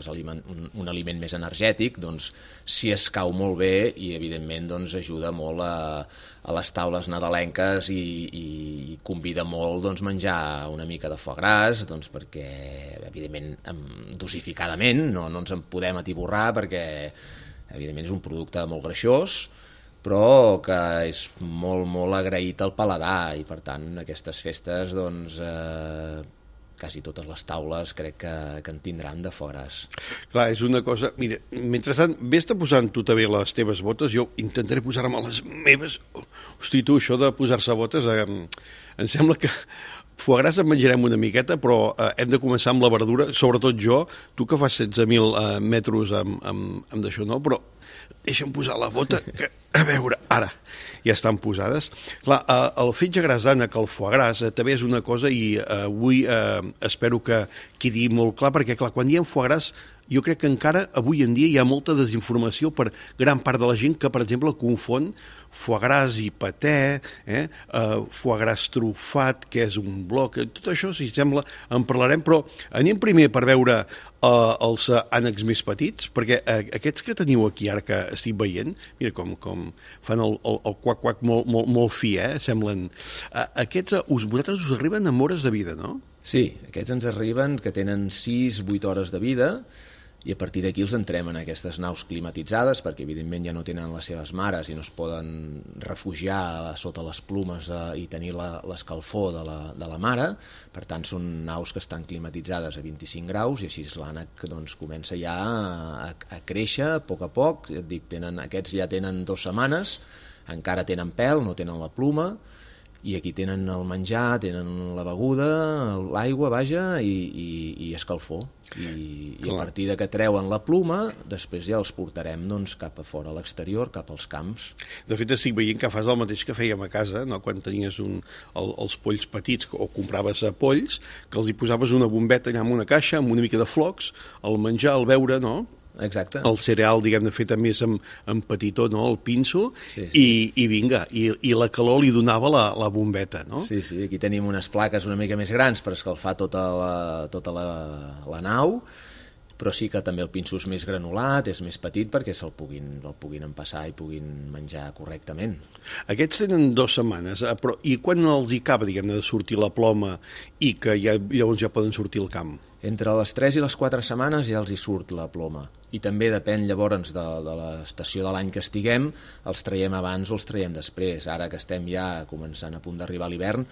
aliment més energètic, doncs si es cau molt bé, i evidentment doncs, ajuda molt a les taules nadalenques, i convida molt doncs, menjar una mica de foie gras, doncs, perquè evidentment dosificadament no ens en podem atiborrar, perquè evidentment és un producte molt greixós, però que és molt, molt agraït al paladar, i per tant aquestes festes doncs, quasi totes les taules crec que en tindran de foie gras. Clar, és una cosa... Mira, mentrestant, vés-te posant tu també les teves botes, jo intentaré posar-me les meves... Hosti, tu, això de posar-se botes, em sembla que... Foie gras en menjarem una miqueta, però hem de començar amb la verdura, sobretot jo, tu que fas 16.000 metres amb d'això, no? Però deixa'm posar la bota, que, a veure, ara, ja estan posades. Clar, el fetge gras d'ànec, el foie gras, també és una cosa, i avui espero que quedi molt clar, perquè clar, quan diem foie gras, jo crec que encara avui en dia hi ha molta desinformació per gran part de la gent que, per exemple, confon foie gras i paté, foie gras trufat, que és un bloc, tot això, si sembla, en parlarem, però anem primer per veure els ànecs més petits, perquè aquests que teniu aquí ara que estic veient, mira com fan el quac-quac molt fi, semblen. Aquests, vosaltres us arriben amb hores de vida, no? Sí, aquests ens arriben que tenen 6-8 hores de vida, i a partir d'aquí els entrem en aquestes naus climatitzades, perquè evidentment ja no tenen les seves mares i no es poden refugiar sota les plomes i tenir l'escalfor de la mare. Per tant, són naus que estan climatitzades a 25 graus, i així l'ànec doncs, comença ja a créixer a poc. Et dic, aquests ja tenen 2 setmanes, encara tenen pèl, no tenen la ploma, i aquí tenen el menjar, tenen la beguda, l'aigua, vaja, i escalfor. I a partir de que treuen la ploma, després ja els portarem doncs, cap a fora, a l'exterior, cap als camps. De fet, estic veient que fas el mateix que fèiem a casa, no? Quan tenies els polls petits, o compraves polls, que els hi posaves una bombeta allà en una caixa, amb una mica de flocs, el menjar, el beure, no? Exacte. El cereal, diguem-ne, fet a més amb petitó, no? El pinso, sí. I vinga, i la calor li donava la bombeta, no? Sí, aquí tenim unes plaques una mica més grans per escalfar tota la nau, però sí que també el pinso és més granulat, és més petit perquè el puguin empassar i puguin menjar correctament. Aquests tenen 2 setmanes, però i quan els hi acaba, diguem-ne, de sortir la ploma i que llavors ja poden sortir al camp? Entre les 3 i les 4 setmanes ja els hi surt la ploma. I també depèn llavors de l'estació de l'any que estiguem, els traiem abans o els traiem després. Ara que estem ja començant a punt d'arribar a l'hivern,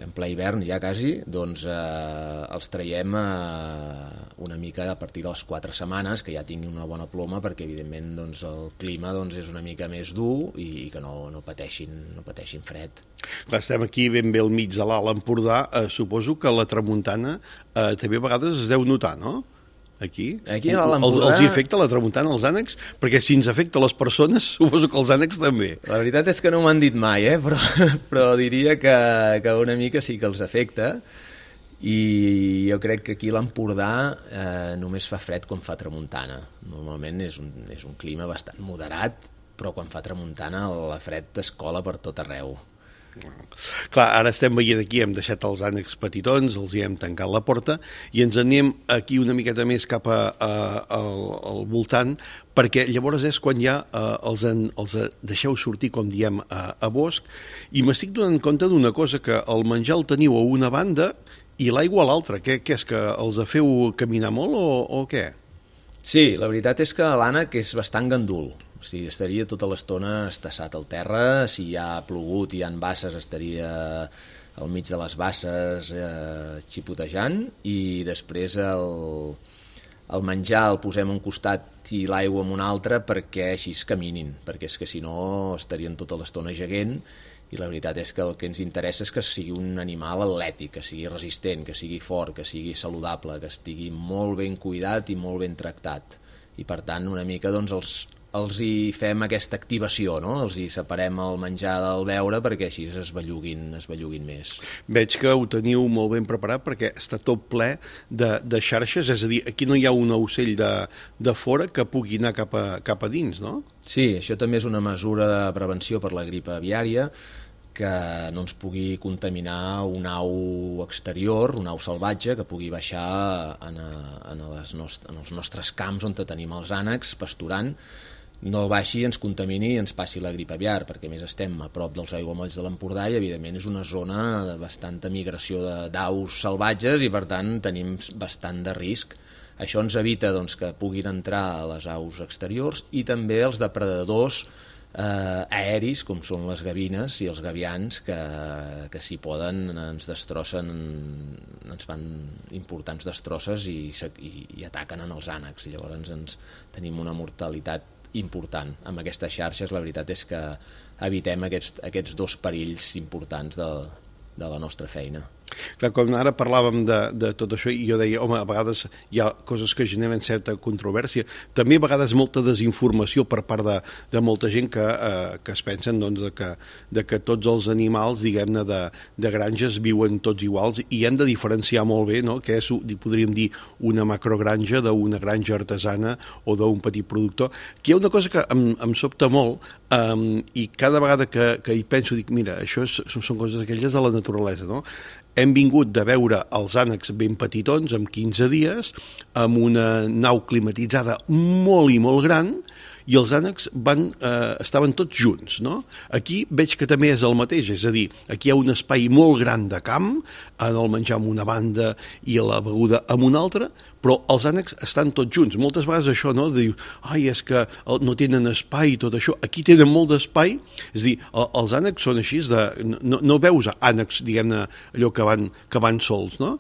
en ple hivern ja quasi, doncs els traiem una mica a partir de les 4 setmanes, que ja tinguin una bona ploma, perquè evidentment doncs, el clima doncs, és una mica més dur i que no pateixin fred. Clar, estem aquí ben bé al mig de l'Alt Empordà, suposo que la tramuntana també a vegades es deu notar, no? Aquí a l'Alt Empordà... Els afecta la tramuntana als ànecs? Perquè si ens afecta a les persones, suposo que els ànecs també. La veritat és que no m'han dit mai, però diria que una mica sí que els afecta. I jo crec que aquí a l'Empordà només fa fred quan fa tramuntana. Normalment és un clima bastant moderat, però quan fa tramuntana la fred t'escola per tot arreu. Clar, ara estem veient aquí, hem deixat els ànecs petitons, els hi hem tancat la porta i ens anem aquí una miqueta més cap al voltant, perquè llavors és quan ja els deixeu sortir, com diem, a bosc, i m'estic donant compte d'una cosa, que el menjar el teniu a una banda i l'aigua a l'altra. Què és, que els feu caminar molt o què? Sí, la veritat és que l'ànec és bastant gandul. O sigui, estaria tota l'estona estassat al terra, si hi ha plogut i hi ha basses estaria al mig de les basses xipotejant, i després el menjar el posem a un costat i l'aigua en un altre perquè així es caminin, perquè és que si no estarien tota l'estona geguent, i la veritat és que el que ens interessa és que sigui un animal atlètic, que sigui resistent, que sigui fort, que sigui saludable, que estigui molt ben cuidat i molt ben tractat. I per tant, una mica doncs els hi fem aquesta activació, no? Els hi separem el menjar del beure perquè així es belluguin més. Veig que ho teniu molt ben preparat perquè està tot ple de xarxes, és a dir, aquí no hi ha un ocell de fora que pugui anar cap a dins, no? Sí, això també és una mesura de prevenció per la grip aviària, que no ens pugui contaminar un au exterior, un au salvatge, que pugui baixar en els nostres camps on tenim els ànecs pasturant, no baixi i ens contamini i ens passi la grip aviar, perquè a més estem a prop dels aiguamolls de l'Empordà i evidentment és una zona de bastanta migració d'aus salvatges i per tant tenim bastant de risc. Això ens evita doncs, que puguin entrar a les aus exteriors i també els depredadors aeris, com són les gavines i els gavians, que si poden ens destrossen, ens fan importants destrosses i ataquen en els ànecs. Llavors tenim una mortalitat important. Amb aquestes xarxes la veritat és que evitem aquests dos perills importants de la nostra feina. Clar, com ara parlàvem de tot això i jo deia, home, a vegades hi ha coses que generen certa controvèrsia, també a vegades molta desinformació per part de molta gent que es pensen doncs, de que tots els animals, diguem-ne, de granges viuen tots iguals i hem de diferenciar molt bé, no?, què és, podríem dir, una macrogranja d'una granja artesana o d'un petit productor. Aquí hi ha una cosa que em sobta molt i cada vegada que hi penso dic, mira, això són coses aquelles de la naturalesa, no? Hem vingut de veure els ànecs ben petitons, amb 15 dies, amb una nau climatitzada molt i molt gran, i els ànecs estaven tots junts, no? Aquí veig que també és el mateix, és a dir, aquí hi ha un espai molt gran de camp, en el menjar amb una banda i la beguda amb una altra, però els ànecs estan tots junts. Moltes vegades això, no?, diu, ai, és que no tenen espai i tot això. Aquí tenen molt d'espai, és a dir, els ànecs són així, no veus ànecs, diguem-ne, allò que van sols, no?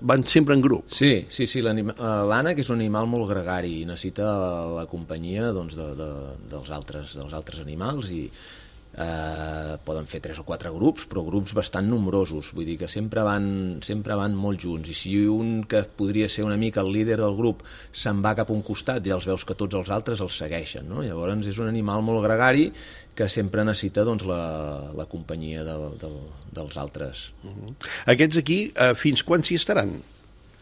Van sempre en grup. Sí, l'ànec és un animal molt gregari i necessita la companyia doncs, dels altres animals i poden fer 3 o 4 grups, però grups bastant nombrosos, vull dir que sempre van molt junts, i si un que podria ser una mica el líder del grup se'n va cap a un costat, ja els veus que tots els altres els segueixen, no? Llavors és un animal molt gregari que sempre necessita doncs, la companyia dels altres. Aquests aquí, fins quan s'hi estaran?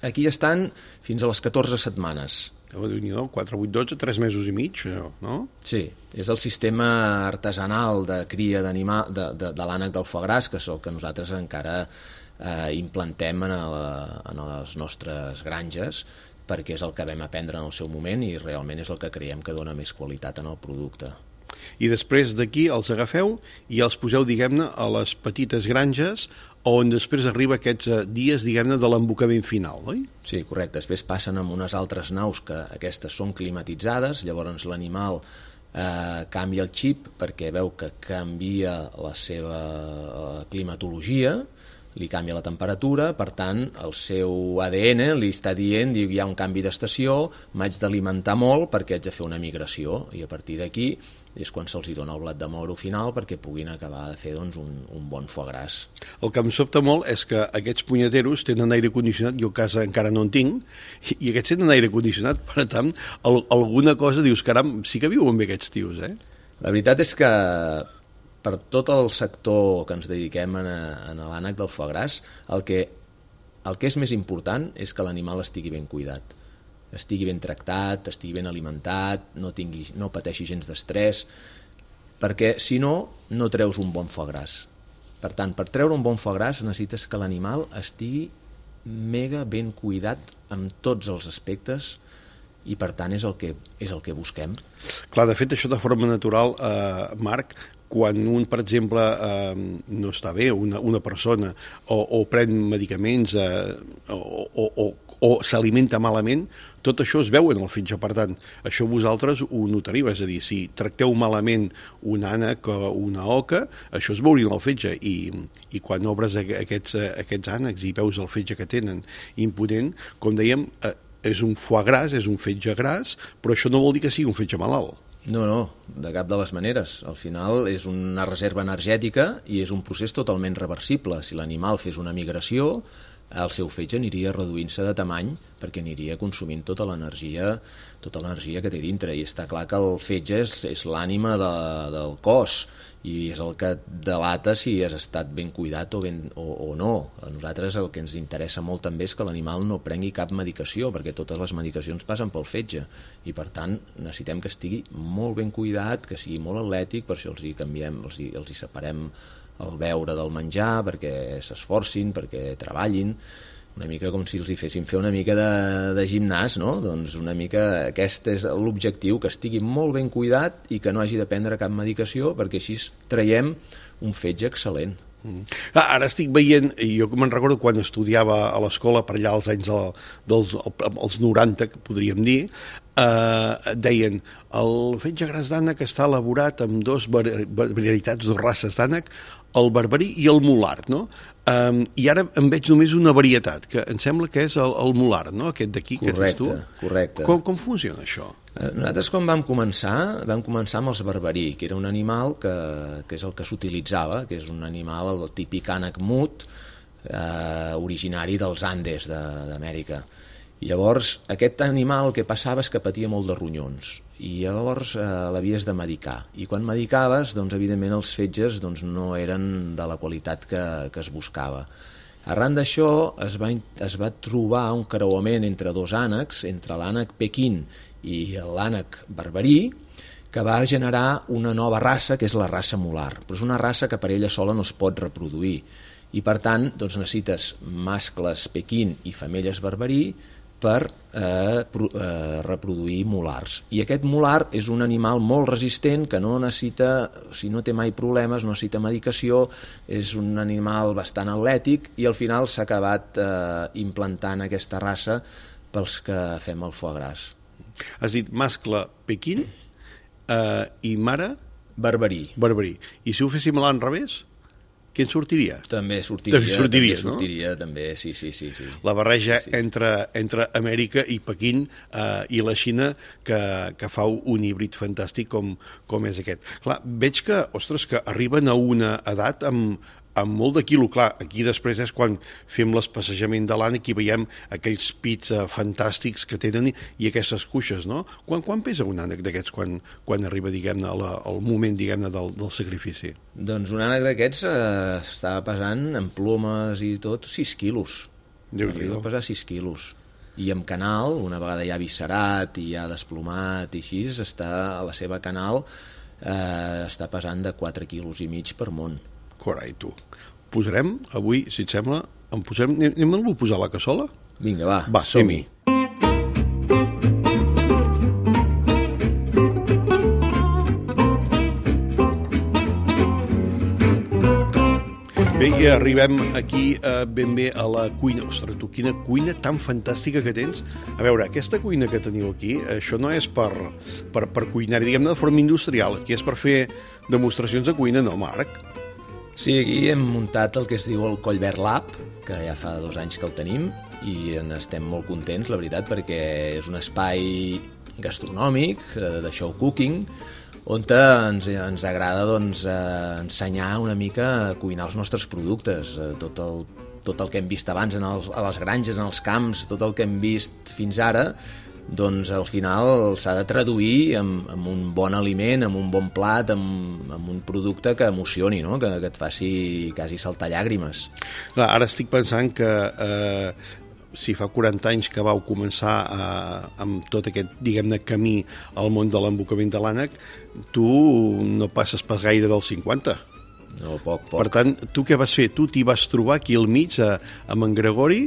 Aquí estan fins a les 14 setmanes. 4, 8, 12, 3 mesos i mig, no? Sí, és el sistema artesanal de cria de l'ànec del foie gras, que és el que nosaltres encara implantem en les nostres granges, perquè és el que vam aprendre en el seu moment i realment és el que creiem que dona més qualitat en el producte. I després d'aquí els agafeu i els poseu, diguem-ne, a les petites granges on després arriba aquests dies, diguem-ne, de l'embocament final, oi? Sí, correcte. Després passen amb unes altres naus que aquestes són climatitzades, llavors l'animal canvia el xip perquè veu que canvia la seva climatologia, li canvia la temperatura, per tant, el seu ADN li està dient, diu, hi ha un canvi d'estació, m'haig d'alimentar molt perquè haig de fer una migració, i a partir d'aquí és quan se'ls dona el blat de moro final perquè puguin acabar de fer doncs, un bon foie gras. El que em sobta molt és que aquests punyeteros tenen aire condicionat, jo a casa encara no en tinc, i aquests tenen aire condicionat, per tant, alguna cosa dius, caram, sí que viuen bé aquests tios, eh? La veritat és que per tot el sector que ens dediquem a l'ànec del foie gras, el que és més important és que l'animal estigui ben cuidat, estigui ben tractat, estigui ben alimentat, no pateixi gens d'estrès, perquè si no, no treus un bon foie gras. Per tant, per treure un bon foie gras necessites que l'animal estigui mega ben cuidat amb tots els aspectes i per tant és el que busquem. Clar, de fet, això de forma natural, Marc, quan un, per exemple, no està bé, una persona, o pren medicaments o s'alimenta malament, tot això es veu en el fetge. Per tant, això vosaltres ho notariu, és a dir, si tracteu malament un ànec o una oca, això es veuria en el fetge, i quan obres aquests ànecs i veus el fetge que tenen imponent, com dèiem, és un foie gras, és un fetge gras, però això no vol dir que sigui un fetge malalt. No, de cap de les maneres. Al final és una reserva energètica i és un procés totalment reversible. Si l'animal fes una migració, el seu fetge aniria reduint-se de tamany perquè aniria consumint tota l'energia que té dintre. I està clar que el fetge és l'ànima del cos i és el que delata si has estat ben cuidat o no. A nosaltres el que ens interessa molt també és que l'animal no prengui cap medicació, perquè totes les medicacions passen pel fetge i per tant necessitem que estigui molt ben cuidat, que sigui molt atlètic, per això els hi separem el beure del menjar, perquè s'esforcin, perquè treballin, una mica com si els hi féssim fer una mica de gimnàs, no? Doncs una mica aquest és l'objectiu, que estigui molt ben cuidat i que no hagi de prendre cap medicació, perquè així traiem un fetge excel·lent. Ara estic veient, i jo me'n recordo quan estudiava a l'escola per allà als anys dels 90, que podríem dir, deien el fetge gras d'ànec està elaborat amb dues varietats, dues races d'ànec, el barbarí i el mulard, no? I ara en veig només una varietat, que em sembla que és el mulard, no? Aquest d'aquí que tens tu. Correcte. Com funciona això? Nosaltres quan vam començar amb els barbarí, que era un animal que és el que s'utilitzava, que és un animal, el típic ànec mut, originari dels Andes d'Amèrica. I llavors aquest animal el que passava és que patia molt de ronyons i llavors l'havies de medicar, i quan medicaves, doncs evidentment els fetges no eren de la qualitat que es buscava. Arran d'això es va trobar un creuament entre dos ànecs, entre l'ànec pequín i l'ànec barbarí, que va generar una nova raça, que és la raça mular, però és una raça que per ella sola no es pot reproduir, i per tant necessites mascles pequín i femelles barbarí per reproduir mulars. I aquest mular és un animal molt resistent que no necessita, si no té mai problemes, no necessita medicació, és un animal bastant atlètic i al final s'ha acabat implantant aquesta raça pels que fem el foie gras. Has dit mascle pequín i mare? Barbarí. I si ho féssim a l'enrevés? Què en sortiria? També sortiria, sí. La barreja entre Amèrica i Pequín i la Xina que fa un híbrid fantàstic com és aquest. Clar, veig que, que arriben a una edat amb molt de quilo. Clar, aquí després és quan fem l'espassejament de l'ànec i veiem aquells pits fantàstics que tenen i aquestes cuixes, no? Quan pesa un ànec d'aquests quan arriba, diguem-ne, al moment, diguem-ne, del sacrifici? Doncs un ànec d'aquests estava pesant, amb plomes i tot, 6 quilos. Arriba a pesar 6 quilos. I amb canal, una vegada ja viscerat i ja desplomat i així, a la seva canal està pesant de 4 quilos i mig per món. Carai, tu. Posarem, avui, si et sembla, anem-lo a posar a la cassola? Vinga, va, som-hi. Bé, i arribem aquí ben bé a la cuina. Ostres, tu, quina cuina tan fantàstica que tens. A veure, aquesta cuina que teniu aquí, això no és per cuinar, diguem-ne, de forma industrial. Aquí és per fer demostracions de cuina, no, Marc? Sí, aquí hem muntat el que es diu el Collverd Lab, que ja fa 2 anys que el tenim, i estem molt contents, la veritat, perquè és un espai gastronòmic, de show cooking, on ens agrada ensenyar una mica a cuinar els nostres productes, tot el que hem vist abans a les granges, en els camps, tot el que hem vist fins ara, doncs al final s'ha de traduir en un bon aliment, en un bon plat, en un producte que emocioni, no? que et faci quasi saltar llàgrimes. Clar, ara estic pensant que si fa 40 anys que vau començar amb tot aquest, diguem-ne, camí al món de l'embocament de l'ànec, tu no passes pas gaire dels 50. No, poc. Per tant, tu què vas fer? Tu t'hi vas trobar aquí al mig, amb en Gregori.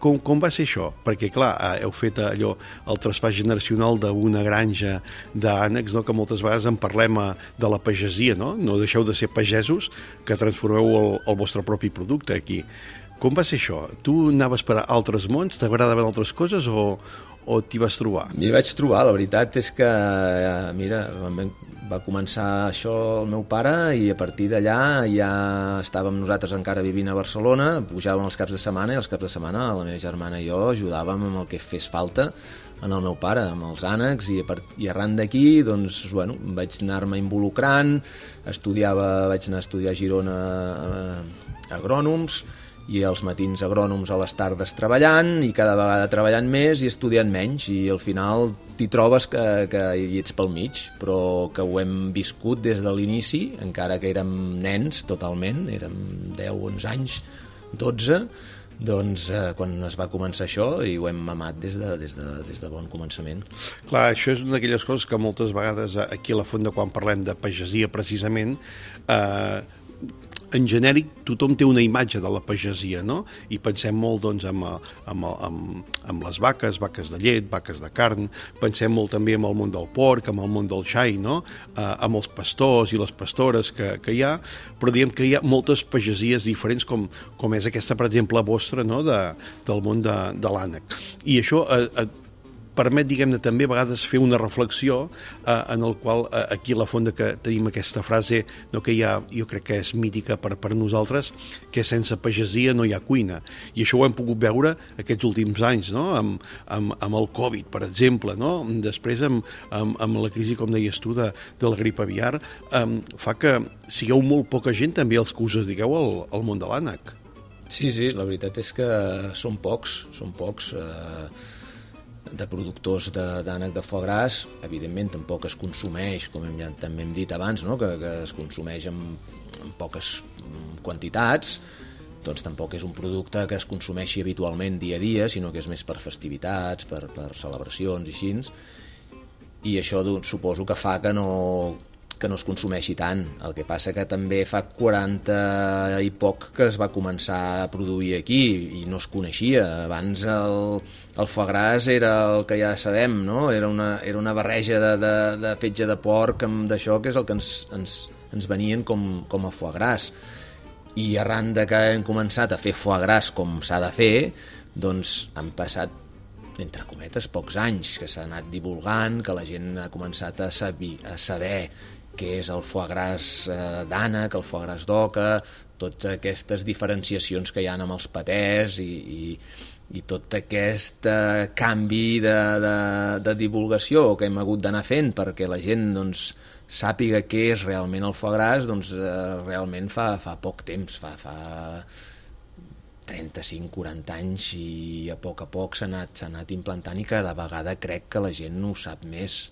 Com va ser això? Perquè, clar, heu fet allò, el traspàs generacional d'una granja d'ànecs, no? Que moltes vegades en parlem de la pagesia, no? No deixeu de ser pagesos que transformeu el vostre propi producte aquí. Com va ser això? Tu anaves per a altres mons? T'agradaven altres coses o t'hi vas trobar? M'hi vaig trobar, la veritat és que, mira, va començar això el meu pare i a partir d'allà ja estàvem nosaltres encara vivint a Barcelona, pujàvem els caps de setmana i els caps de setmana la meva germana i jo ajudàvem amb el que fes falta en el meu pare, amb els ànecs, i arran d'aquí, doncs, bueno, vaig anar-me involucrant, vaig anar a estudiar a Girona agrònoms, i els matins agrònoms a les tardes treballant i cada vegada treballant més i estudiant menys, i al final t'hi trobes que hi ets pel mig, però que ho hem viscut des de l'inici, encara que érem nens totalment, érem 10, 11 anys, 12, doncs quan es va començar això, i ho hem mamat des de bon començament. Clar, això és una d'aquelles coses que moltes vegades aquí a la Fonda, quan parlem de pagesia precisament, en genèric tothom té una imatge de la pagesia, no? I pensem molt, doncs, amb les vaques de llet, vaques de carn, pensem molt també en el món del porc, en el món del xai, no? Amb els pastors i les pastores que hi ha, però diguem que hi ha moltes pagesies diferents, com és aquesta, per exemple, vostra, no? Del món de l'ànec. I això permet, diguem-ne, també a vegades fer una reflexió en el qual aquí a la Fonda que tenim aquesta frase, no, que ja jo crec que és mítica per nosaltres, que sense pagesia no hi ha cuina. I això ho hem pogut veure aquests últims anys, no? Amb el Covid, per exemple, no? Després amb la crisi, com deies tu, de la grip aviar, fa que sigueu molt poca gent també els que us dediqueu al món de l'ànec. Sí, la veritat és que són pocs de productors d'ànec de foie gras. Evidentment tampoc es consumeix, com també hem dit abans, no? que es consumeix en poques quantitats, doncs tampoc és un producte que es consumeixi habitualment dia a dia, sinó que és més per festivitats, per celebracions i així, i això suposo que fa que no es consumeixi tant. El que passa que també fa 40 i poc que es va començar a produir aquí i no es coneixia. Abans el foie gras era el que ja sabem, no? Era una barreja de fetge de porc amb d'això, que és el que ens venien com a foie gras. I arran de que hem començat a fer foie gras com s'ha de fer, doncs han passat, entre cometes, pocs anys, que s'ha anat divulgant, que la gent ha començat a saber què és el foie gras d'ànec, el foie gras d'oca, totes aquestes diferenciacions que hi ha amb els patès i tot aquest canvi de divulgació que hem hagut d'anar fent perquè la gent, doncs, sàpiga què és realment el foie gras, doncs realment fa poc temps, fa 35-40 anys, i a poc s'ha anat implantant, i cada vegada crec que la gent no ho sap més.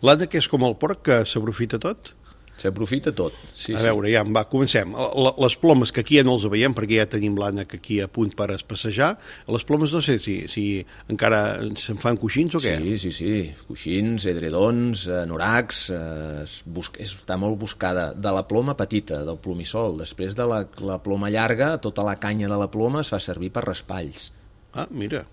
L'ànec és com el porc, que s'aprofita tot? S'aprofita tot, sí. A veure, ja, comencem. Les plomes, que aquí ja no els veiem, perquè ja tenim l'ànec aquí a punt per passejar. Les plomes no sé si encara se'n fan coixins o què? Sí. Coixins, edredons, anoracs, està molt buscada. De la ploma petita, del plomissol. Després de la ploma llarga, tota la canya de la ploma es fa servir per raspalls. Ah, mira.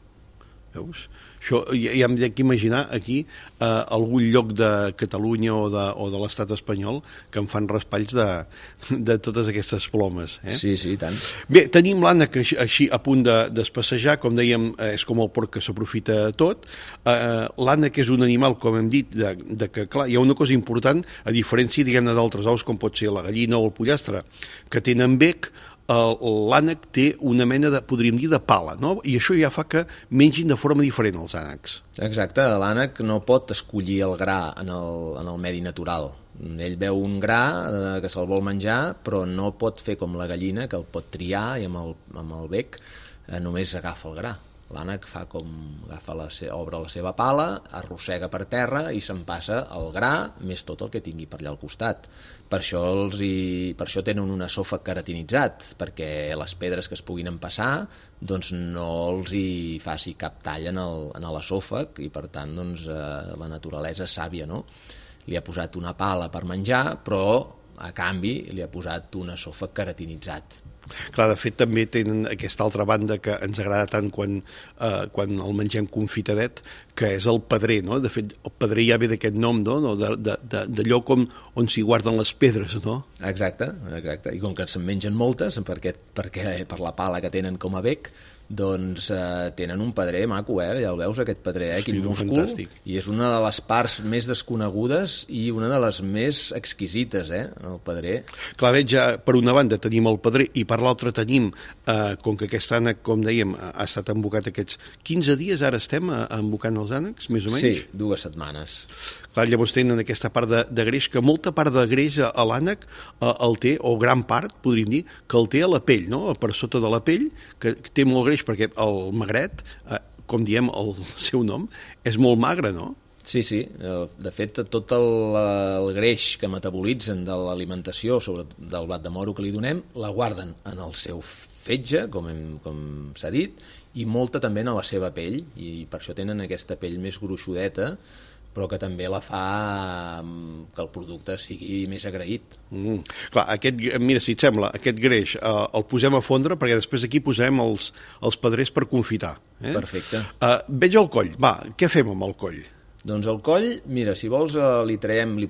Veus? Això, ja em dic imaginar aquí algun lloc de Catalunya o de l'estat espanyol que en fan raspalls de totes aquestes plomes. Sí, tant. Bé, tenim l'ànec així a punt d'espassejar, com dèiem, és com el porc que s'aprofita tot. L'ànec és un animal, com hem dit, que, clar, hi ha una cosa important, a diferència, diguem-ne, d'altres aus, com pot ser la gallina o el pollastre, que tenen bec. L'ànec té una mena de, podríem dir, de pala, no? I això ja fa que mengin de forma diferent els ànecs. Exacte, l'ànec no pot escollir el gra en el medi natural. Ell veu un gra que se'l vol menjar, però no pot fer com la gallina, que el pot triar i amb el bec només agafa el gra. L'ànec obre la seva pala, arrossega per terra i se'n passa el gra més tot el que tingui per allà al costat. Per això tenen un esòfag keratinitzat, perquè les pedres que es puguin empassar doncs no els hi faci cap tall en l'esòfag i per tant doncs, la naturalesa és sàvia, no? Li ha posat una pala per menjar, però a canvi li ha posat un esòfag keratinitzat. Clar, de fet també tenen aquesta altra banda que ens agrada tant quan el mengem confitadet, que és el pedrer, no? De fet, el pedrer ja ve d'aquest nom, no? D'allò on s'hi guarden les pedres, no? Exacte. I com que se'n mengen moltes, perquè per la pala que tenen com a bec, doncs tenen un pedrer maco, ja el veus, aquest pedrer, quin múscul, fantàstic. I és una de les parts més desconegudes i una de les més exquisites, el pedrer. Clar, veig, ja per una banda tenim el pedrer i per l'altra tenim, com que aquest ànec, com dèiem, ha estat embocat aquests 15 dies, ara estem embocant els ànecs, més o menys? Sí, 2 setmanes. Clar, llavors tenen aquesta part de greix, que molta part de greix a l'ànec el té, o gran part, podríem dir, que el té a la pell, no? Per sota de la pell, que té molt greix, perquè el magret, com diem el seu nom, és molt magre, no? Sí. De fet, tot el greix que metabolitzen de l'alimentació, sobretot del blat de moro que li donem, la guarden en el seu fetge, com s'ha dit, i molta també en la seva pell, i per això tenen aquesta pell més gruixudeta, però que també la fa que el producte sigui més agraït. Clar, mira, si et sembla, aquest greix el posem a fondre, perquè després aquí posarem els pedrers per confitar. Perfecte. Veig el coll. Va, què fem amb el coll? Doncs el coll, mira, si vols li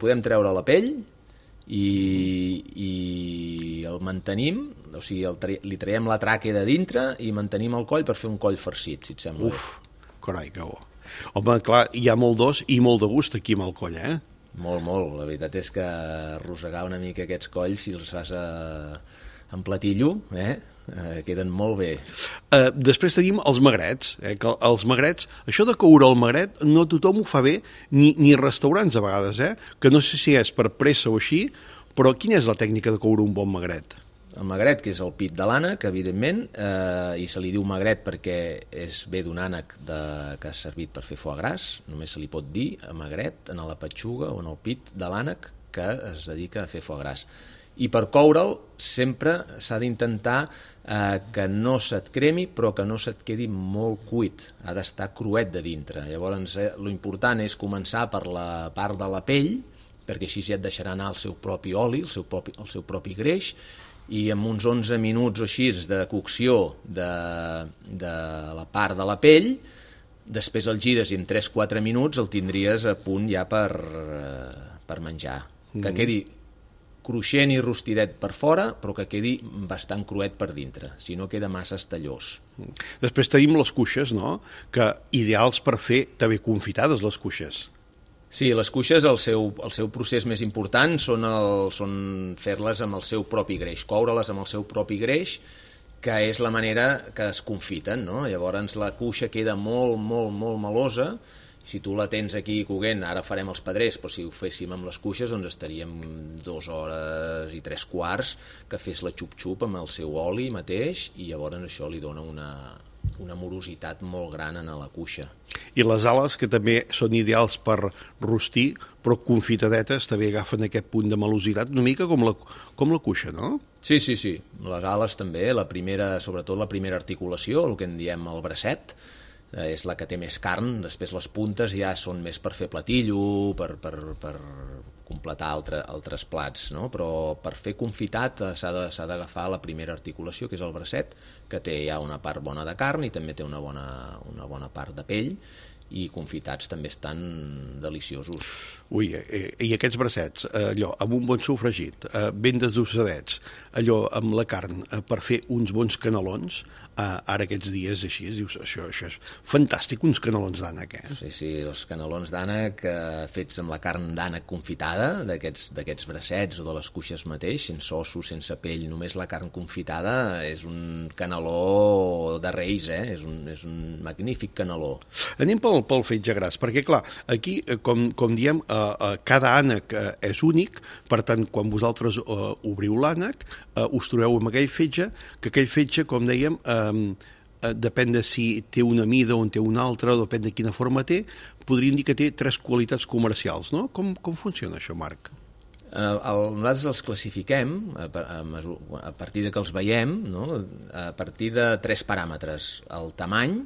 podem treure la pell i el mantenim, o sigui, li traiem la tràquea de dintre i mantenim el coll per fer un coll farcit, si et sembla. Carai, que bo. Home, clar, hi ha molt d'os i molt de gust aquí amb el coll, Molt. La veritat és que arrossegar una mica aquests colls, si els fas en platillo, queden molt bé. Després tenim els magrets, que els magrets, això de coure el magret no tothom ho fa bé, ni restaurants a vegades, que no sé si és per pressa o així, però quina és la tècnica de coure un bon magret? El magret, que és el pit de l'ànec, evidentment, i se li diu magret perquè ve d'un ànec que ha servit per fer foie gras, només se li pot dir magret en la petxuga o en el pit de l'ànec que es dedica a fer foie gras. I per coure'l sempre s'ha d'intentar que no se't cremi, però que no se't quedi molt cuit, ha d'estar cruet de dintre. Llavors, l'important és començar per la part de la pell, perquè així ja et deixarà anar el seu propi oli, el seu propi greix, i amb uns 11 minuts o així de cocció de la part de la pell, després el gires i en 3-4 minuts el tindries a punt ja per menjar. Que quedi cruixent i rostidet per fora, però que quedi bastant cruet per dintre, si no queda massa estallós. Després tenim les cuixes, no? Que ideals per fer també confitades, les cuixes. Sí, les cuixes, el seu procés més important són fer-les amb el seu propi greix, coure-les amb el seu propi greix, que és la manera que es confiten, no? Llavors la cuixa queda molt, molt, molt melosa. Si tu la tens aquí coguent, ara farem els pedrers, però si ho féssim amb les cuixes, doncs estaríem 2 hores i 3/4 que fes la xup-xup amb el seu oli mateix, i llavors això li dona una morositat molt gran a la cuixa. I les ales, que també són ideals per rostir, però confitadetes també agafen aquest punt de melositat, una mica com la cuixa, no? Sí. Les ales també, sobretot la primera articulació, el que en diem el bracet, és la que té més carn. Després les puntes ja són més per fer platillo, per completar altres plats, no? Però per fer confitat s'ha d'agafar la primera articulació, que és el bracet, que té ja una part bona de carn i també té una bona part de pell, i confitats també estan deliciosos. Ui, i aquests bracets, allò, amb un bon sofregit, ben desdossadets, allò amb la carn, per fer uns bons canelons, ara aquests dies així, dius, això és fantàstic, uns canelons d'ànec, Sí, els canelons d'ànec fets amb la carn d'ànec confitada, d'aquests bracets o de les cuixes mateix, sense ossos, sense pell, només la carn confitada, és un caneló de reis, és un magnífic caneló. Anem pel fetge gras, perquè clar, aquí, com diem, cada ànec és únic, per tant, quan vosaltres obriu l'ànec, us trobeu amb aquell fetge, que aquell fetge, com dèiem, depèn de si té una mida o en té una altra, o depèn de quina forma té, podríem dir que té 3 qualitats comercials, no? Com funciona això, Marc? Nosaltres els classifiquem a partir de que els veiem, no? A partir de 3 paràmetres: el tamany,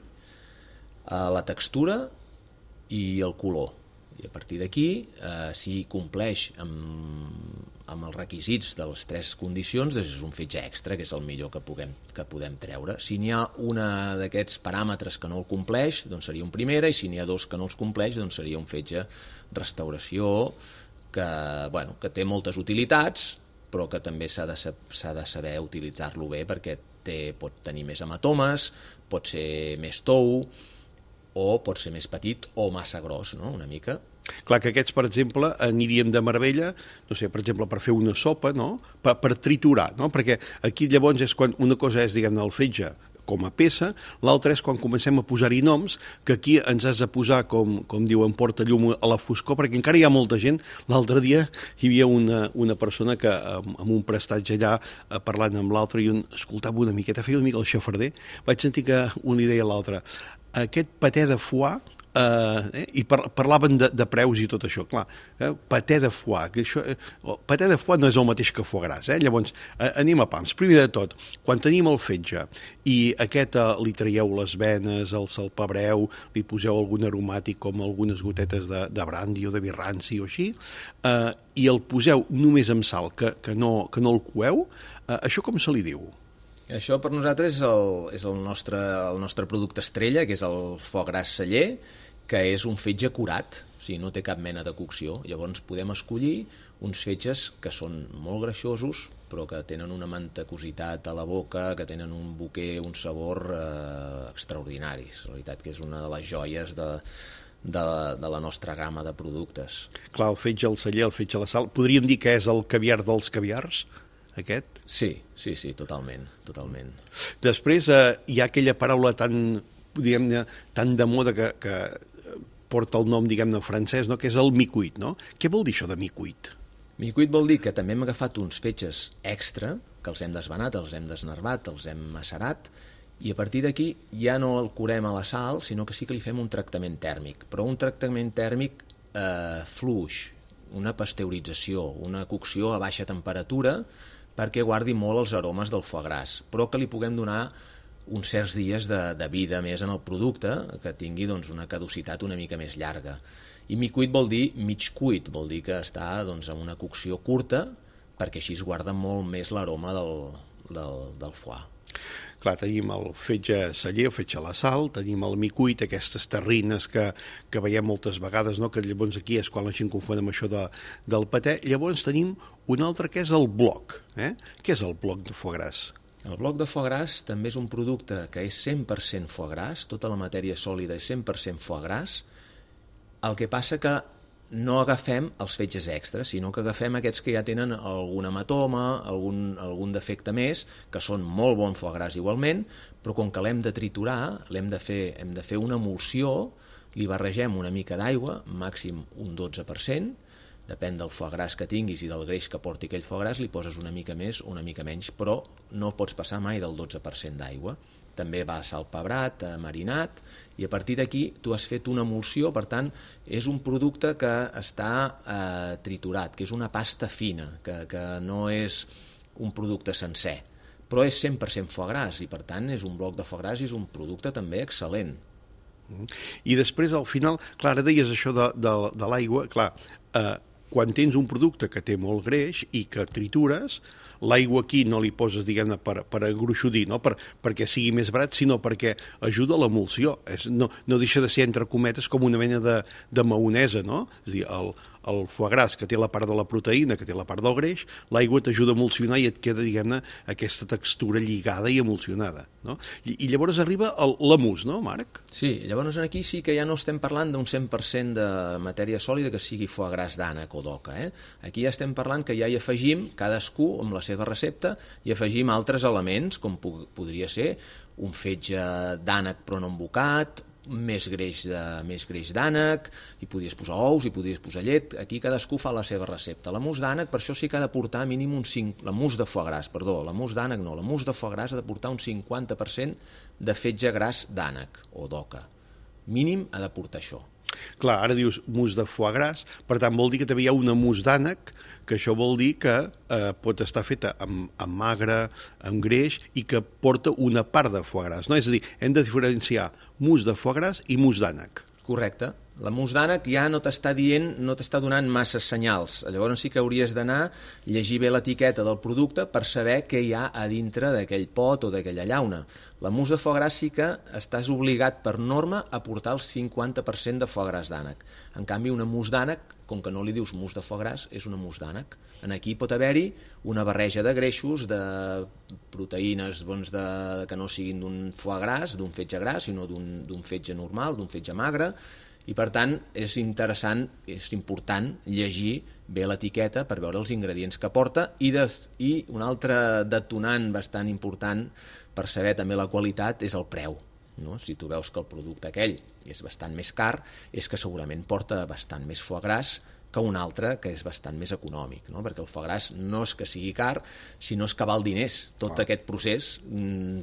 la textura i el color. I a partir d'aquí, si compleix amb els requisits de les 3 condicions, doncs és un fetge extra, que és el millor que podem treure. Si n'hi ha una d'aquests paràmetres que no el compleix, doncs seria un primera, i si n'hi ha 2 que no els compleix, doncs seria un fetge restauració, que té moltes utilitats, però que també s'ha de saber utilitzar-lo bé, perquè pot tenir més hematomes, pot ser més tou, o pot ser més petit o massa gros, no?, una mica. Clar que aquests, per exemple, aniríem de meravella, no sé, per exemple, per fer una sopa, no?, per triturar, no?, perquè aquí llavors és quan una cosa és, diguem-ne, el fetge com a peça, l'altra és quan comencem a posar-hi noms, que aquí ens has de posar, com diuen, porta llum a la foscor, perquè encara hi ha molta gent. L'altre dia hi havia una persona que amb un prestatge allà parlant amb l'altre i escoltava una miqueta, feia una mica el xafarder, vaig sentir que un li deia a l'altre: aquest paté de foie, i parlaven de preus i tot això, clar, paté de foie, paté de foie no és el mateix que foie gras, llavors anem a pams. Primer de tot, quan tenim el fetge i aquest li traieu les venes, el salpebreu, li poseu algun aromàtic com algunes gotetes de brandy o de vi ranci o així, i el poseu només amb sal, que no el coeu, això com se li diu? Això per nosaltres és el nostre producte estrella, que és el foie gras celler, que és un fetge curat, o sigui, no té cap mena de cocció. Llavors podem escollir uns fetges que són molt greixosos, però que tenen una mantecositat a la boca, que tenen un bouquet, un sabor extraordinaris. La veritat que és una de les joies de la nostra gamma de productes. Clar, el fetge al celler, el fetge a la sal, podríem dir que és el caviar dels caviars? Aquest? Sí, totalment. Després hi ha aquella paraula tan de moda que porta el nom, diguem-ne, francès, no?, que és el mi-cuit, no? Què vol dir això de mi-cuit? Mi-cuit vol dir que també hem agafat uns fetges extra, que els hem desvenat, els hem desnervat, els hem macerat, i a partir d'aquí ja no el curem a la sal, sinó que sí que li fem un tractament tèrmic, però un tractament tèrmic fluix, una pasteurització, una cocció a baixa temperatura, perquè guardi molt els aromes del foie gras, però que li puguem donar uns certs dies de vida més en el producte, que tingui doncs, una caducitat una mica més llarga. I mi-cuit vol dir mig cuit, vol dir que està doncs, en una cocció curta, perquè així es guarda molt més l'aroma del foie. Clar, tenim el fetge celler, el fetge a la sal, tenim el mi-cuit, aquestes terrines que veiem moltes vegades, no?, que llavors aquí és quan la gent confon amb això del paté. Llavors tenim un altre que és el bloc. Què és el bloc de foie gras? El bloc de foie gras també és un producte que és 100% foie gras, tota la matèria sòlida és 100% foie gras. El que passa que no agafem els fetges extras, sinó que agafem aquests que ja tenen algun hematoma, algun defecte més, que són molt bon foie gras igualment, però com que l'hem de triturar, hem de fer una emulsió, li barregem una mica d'aigua, màxim un 12%, depèn del foie gras que tinguis i del greix que porti aquell foie gras, li poses una mica més o una mica menys, però no pots passar mai del 12% d'aigua. També va salpebrat, marinat, i a partir d'aquí tu has fet una emulsió, per tant, és un producte que està triturat, que és una pasta fina, que no és un producte sencer, però és 100% foie gras, i per tant és un bloc de foie gras i és un producte també excel·lent. I després, al final, clar, ara deies això de l'aigua, clar, quan tens un producte que té molt greix i que tritures, l'aigua aquí no li poses, diguem-ne, per agruixodir, no? Perquè sigui més barat, sinó perquè ajuda a l'emulsió. No deixa de ser, entre cometes, com una mena de maonesa, no? És a dir, el foie gras, que té la part de la proteïna, que té la part del greix, l'aigua t'ajuda a emulsionar i et queda, diguem-ne, aquesta textura lligada i emulsionada, no? I llavors arriba l'emús, no, Marc? Sí, llavors aquí sí que ja no estem parlant d'un 100% de matèria sòlida que sigui foie gras d'ànec o d'oca, Aquí ja estem parlant que ja hi afegim, cadascú amb la seva recepta, i afegim altres elements, com podria ser un fetge d'ànec però no embocat, més greix d'ànec, hi podies posar ous, hi podies posar llet, aquí cadascú fa la seva recepta. La mousse d'ànec per això sí que ha de portar mínim un 5, la mousse de foie gras, perdó, la mousse d'ànec no, la mousse de foie gras ha de portar un 50% de fetge gras d'ànec o d'oca. Mínim ha de portar això. Clar, ara dius mousse de foie gras, per tant vol dir que també hi ha una mousse d'ànec, que això vol dir que pot estar feta amb magre, amb greix, i que porta una part de foie gras, no? És a dir, hem de diferenciar mousse de foie gras i mousse d'ànec. Correcte. La mousse d'ànec ja no t'està dient, no t'està donant masses senyals. Llavors sí que hauries d'anar, llegir bé l'etiqueta del producte per saber què hi ha a dintre d'aquell pot o d'aquella llauna. La mousse de foie gras sí que estàs obligat per norma a portar el 50% de foie gras d'ànec. En canvi, una mousse d'ànec, com que no li dius mousse de foie gras, és una mousse d'ànec. En aquí pot haver-hi una barreja de greixos, de proteïnes que no siguin d'un foie gras, d'un fetge gras, sinó d'un fetge normal, d'un fetge magre, i per tant és interessant, és important llegir bé l'etiqueta per veure els ingredients que porta i un altre detonant bastant important per saber també la qualitat és el preu. No? Si tu veus que el producte aquell és bastant més car, és que segurament porta bastant més foie gras que un altre que és bastant més econòmic, no? Perquè el foie gras no és que sigui car, sinó és que val diners. Tot aquest procés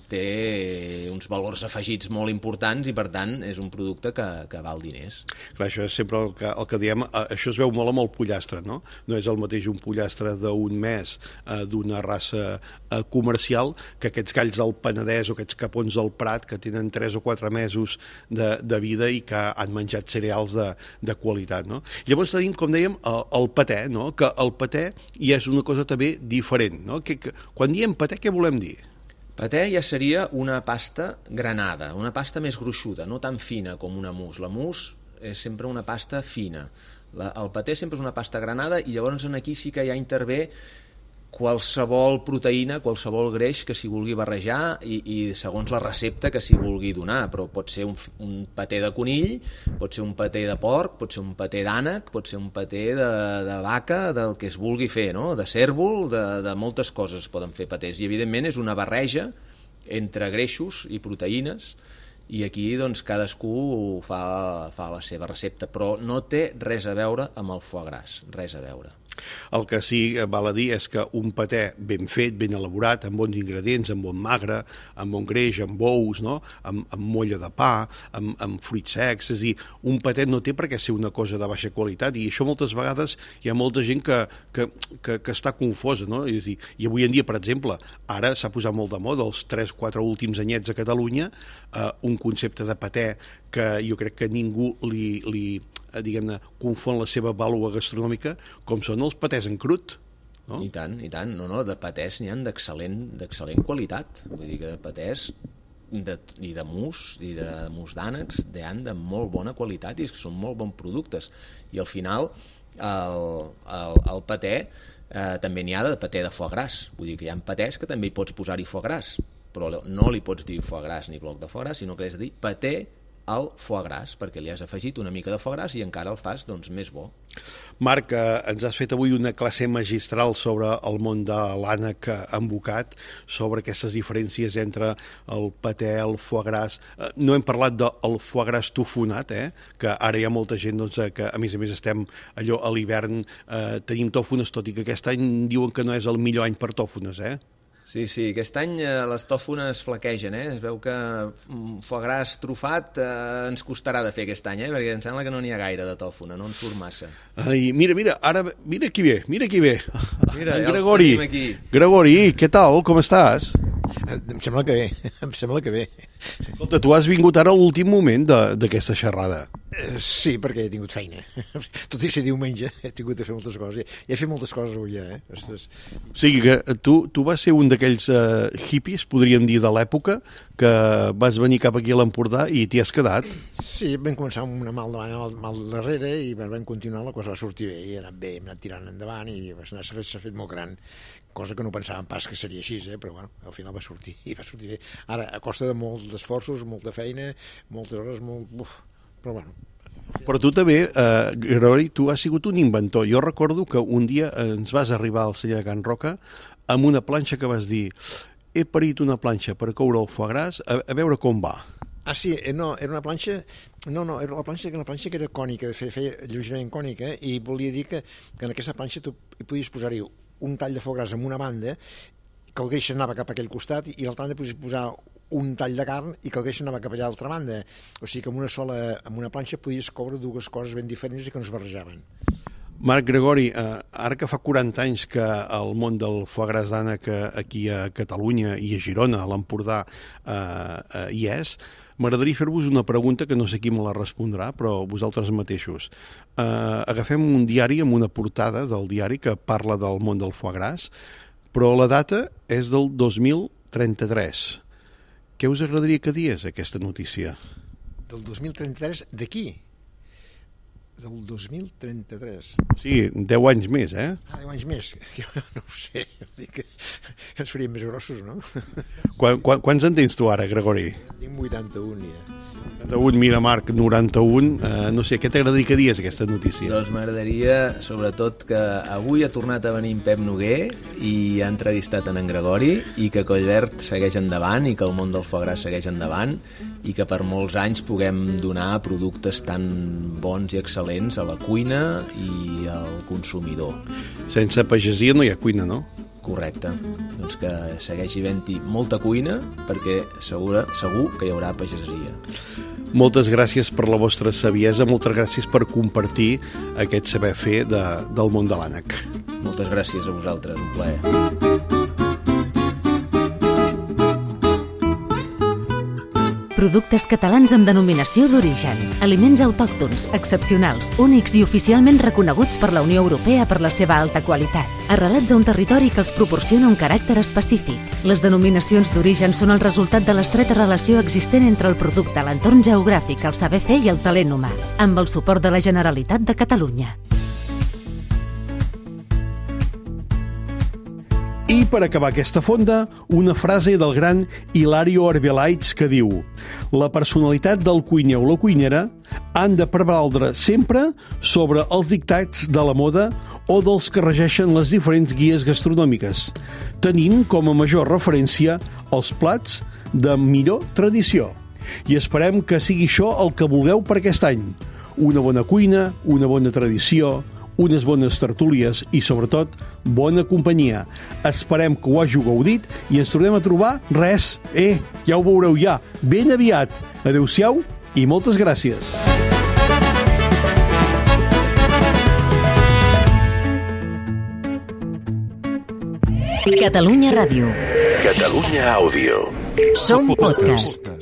té uns valors afegits molt importants i, per tant, és un producte que val diners. Clar, això és sempre el que diem, això es veu molt amb el pollastre, no? No és el mateix un pollastre d'un mes d'una raça comercial que aquests galls del Penedès o aquests capons del Prat que tenen 3 o 4 mesos de vida i que han menjat cereals de qualitat, no? Llavors tenim, com dèiem, el paté, no? Que el paté ja és una cosa també diferent, no? Quan diem paté, què volem dir? Paté ja seria una pasta granada, una pasta més gruixuda, no tan fina com una mousse. La mousse és sempre una pasta fina. El paté sempre és una pasta granada i llavors aquí sí que ja intervé qualsevol proteïna, qualsevol greix que s'hi vulgui barrejar i segons la recepta que s'hi vulgui donar, però pot ser un paté de conill, pot ser un paté de porc, pot ser un paté d'ànec, pot ser un paté de vaca, del que es vulgui fer, no? De cèrvol, de moltes coses poden fer patés i evidentment és una barreja entre greixos i proteïnes i aquí doncs cadascú fa la seva recepta, però no té res a veure amb el foie gras, res a veure. El que sí val a dir és que un paté ben fet, ben elaborat, amb bons ingredients, amb bon magre, amb bon greix, amb ous, no? amb molla de pa, amb fruits secs, és a dir, un paté no té per què ser una cosa de baixa qualitat i això moltes vegades hi ha molta gent que està confosa, no? És a dir, i avui en dia, per exemple, ara s'ha posat molt de moda, els 3-4 últims anyets a Catalunya, un concepte de paté que jo crec que ningú li diguem-ne, confon la seva vàlua gastronòmica com són els patés en crut. No? I tant. No, de patés n'hi ha d'excel·lent qualitat. Vull dir que de patés i de mousse d'ànecs n'hi ha de molt bona qualitat i que són molt bons productes. I al final el paté també n'hi ha de paté de foie gras. Vull dir que hi ha patés que també hi pots posar-hi foie gras, però no li pots dir foie gras ni bloc de foie gras, sinó que has de dir paté al foie gras, perquè li has afegit una mica de foie gras i encara el fas doncs, més bo. Marc, ens has fet avui una classe magistral sobre el món de l'ànec embocat, sobre aquestes diferències entre el paté, el foie gras. No hem parlat del foie gras tofonat, que ara hi ha molta gent doncs, que a més estem allò a l'hivern, tenim tòfones, tot i que aquest any diuen que no és el millor any per tòfones, Sí, aquest any les tòfones flaquegen, Es veu que foie gras trufat ens costarà de fer aquest any, perquè em sembla que no n'hi ha gaire de tòfona, no en surt massa. Ai, mira, ara, mira qui ve. Mira, Gregori. Ja el tenim aquí. Gregori, què tal, com estàs? Em sembla que bé. Escolta, tu has vingut ara a l'últim moment d'aquesta xerrada. Sí, perquè he tingut feina. Tot i ser diumenge, he tingut de fer moltes coses. I he fet moltes coses avui, Ostres. O sigui que tu vas ser un d'aquells hippies, podríem dir, de l'època, que vas venir cap aquí a l'Empordà i t'hi has quedat. Sí, vam començar amb una mal davant, mal darrere, i vam continuar, la cosa va sortir bé, i ha anat bé, hem anat tirant endavant, i s'ha fet molt gran, cosa que no pensàvem pas que seria així, però bueno, al final va sortir bé. Ara, a costa de molts esforços, molta feina, moltes hores, però bueno. Però tu també, Gregori, tu has sigut un inventor. Jo recordo que un dia ens vas arribar al celler de Can Roca amb una planxa que vas dir: he parit una planxa per coure el foie gras, a veure com va. Ah, sí, no, era una planxa... No, era una planxa que era cònica, feia lleugerament cònica, i volia dir que en aquesta planxa tu hi podies posar-hi un tall de foie gras en una banda, que el greix anava cap a aquell costat, i a l'altra banda podies posar un tall de carn i que el greix anava cap a l'altra banda. O sigui que amb una planxa podies coure dues coses ben diferents i que no es barrejaven. Marc Gregori, ara que fa 40 anys que el món del foie gras d'ànec aquí a Catalunya i a Girona, a l'Empordà, hi és, m'agradaria fer-vos una pregunta que no sé qui me la respondrà, però vosaltres mateixos. Agafem un diari amb una portada del diari que parla del món del foie gras, però la data és del 2033. Què us agradaria que digués aquesta notícia? Del 2033 d'aquí? Del 2033. Sí, 10 anys més, eh? Ah, 10 anys més. No ho sé. Dic que ens faríem més grossos, no? Quants en tens tu ara, Gregori? Tinc 81, ja. 91, mira, Marc, 91. No sé, què t'agradaria que digués aquesta notícia? Doncs m'agradaria, sobretot, que avui ha tornat a venir en Pep Noguer i ha entrevistat en Gregori, i que Collverd segueix endavant i que el món del foie gras segueix endavant i que per molts anys puguem donar productes tan bons i excel·lents a la cuina i al consumidor. Sense pagesia no hi ha cuina, no? Correcte. Doncs que segueixi havent-hi molta cuina perquè segur que hi haurà pagesia. Moltes gràcies per la vostra saviesa, moltes gràcies per compartir aquest saber fer del món de l'ànec. Moltes gràcies a vosaltres, un plaer. Productes catalans amb denominació d'origen. Aliments autòctons, excepcionals, únics i oficialment reconeguts per la Unió Europea per la seva alta qualitat. Arrelats a un territori que els proporciona un caràcter específic. Les denominacions d'origen són el resultat de l'estreta relació existent entre el producte, l'entorn geogràfic, el saber fer i el talent humà, amb el suport de la Generalitat de Catalunya. I per acabar aquesta fonda, una frase del gran Hilario Arbelaitz que diu: la personalitat del cuiner o la cuinera han de prevaldre sempre sobre els dictats de la moda o dels que regeixen les diferents guies gastronòmiques, tenint com a major referència els plats de millor tradició. I esperem que sigui això el que vulgueu per aquest any. Una bona cuina, una bona tradició, unes bones tertúlies i, sobretot, bona companyia. Esperem que ho hàgiu gaudit i ens tornem a trobar, ja ho veureu ja, ben aviat. Adéu-siau i moltes gràcies. Catalunya Ràdio. Catalunya Àudio. Som podcast.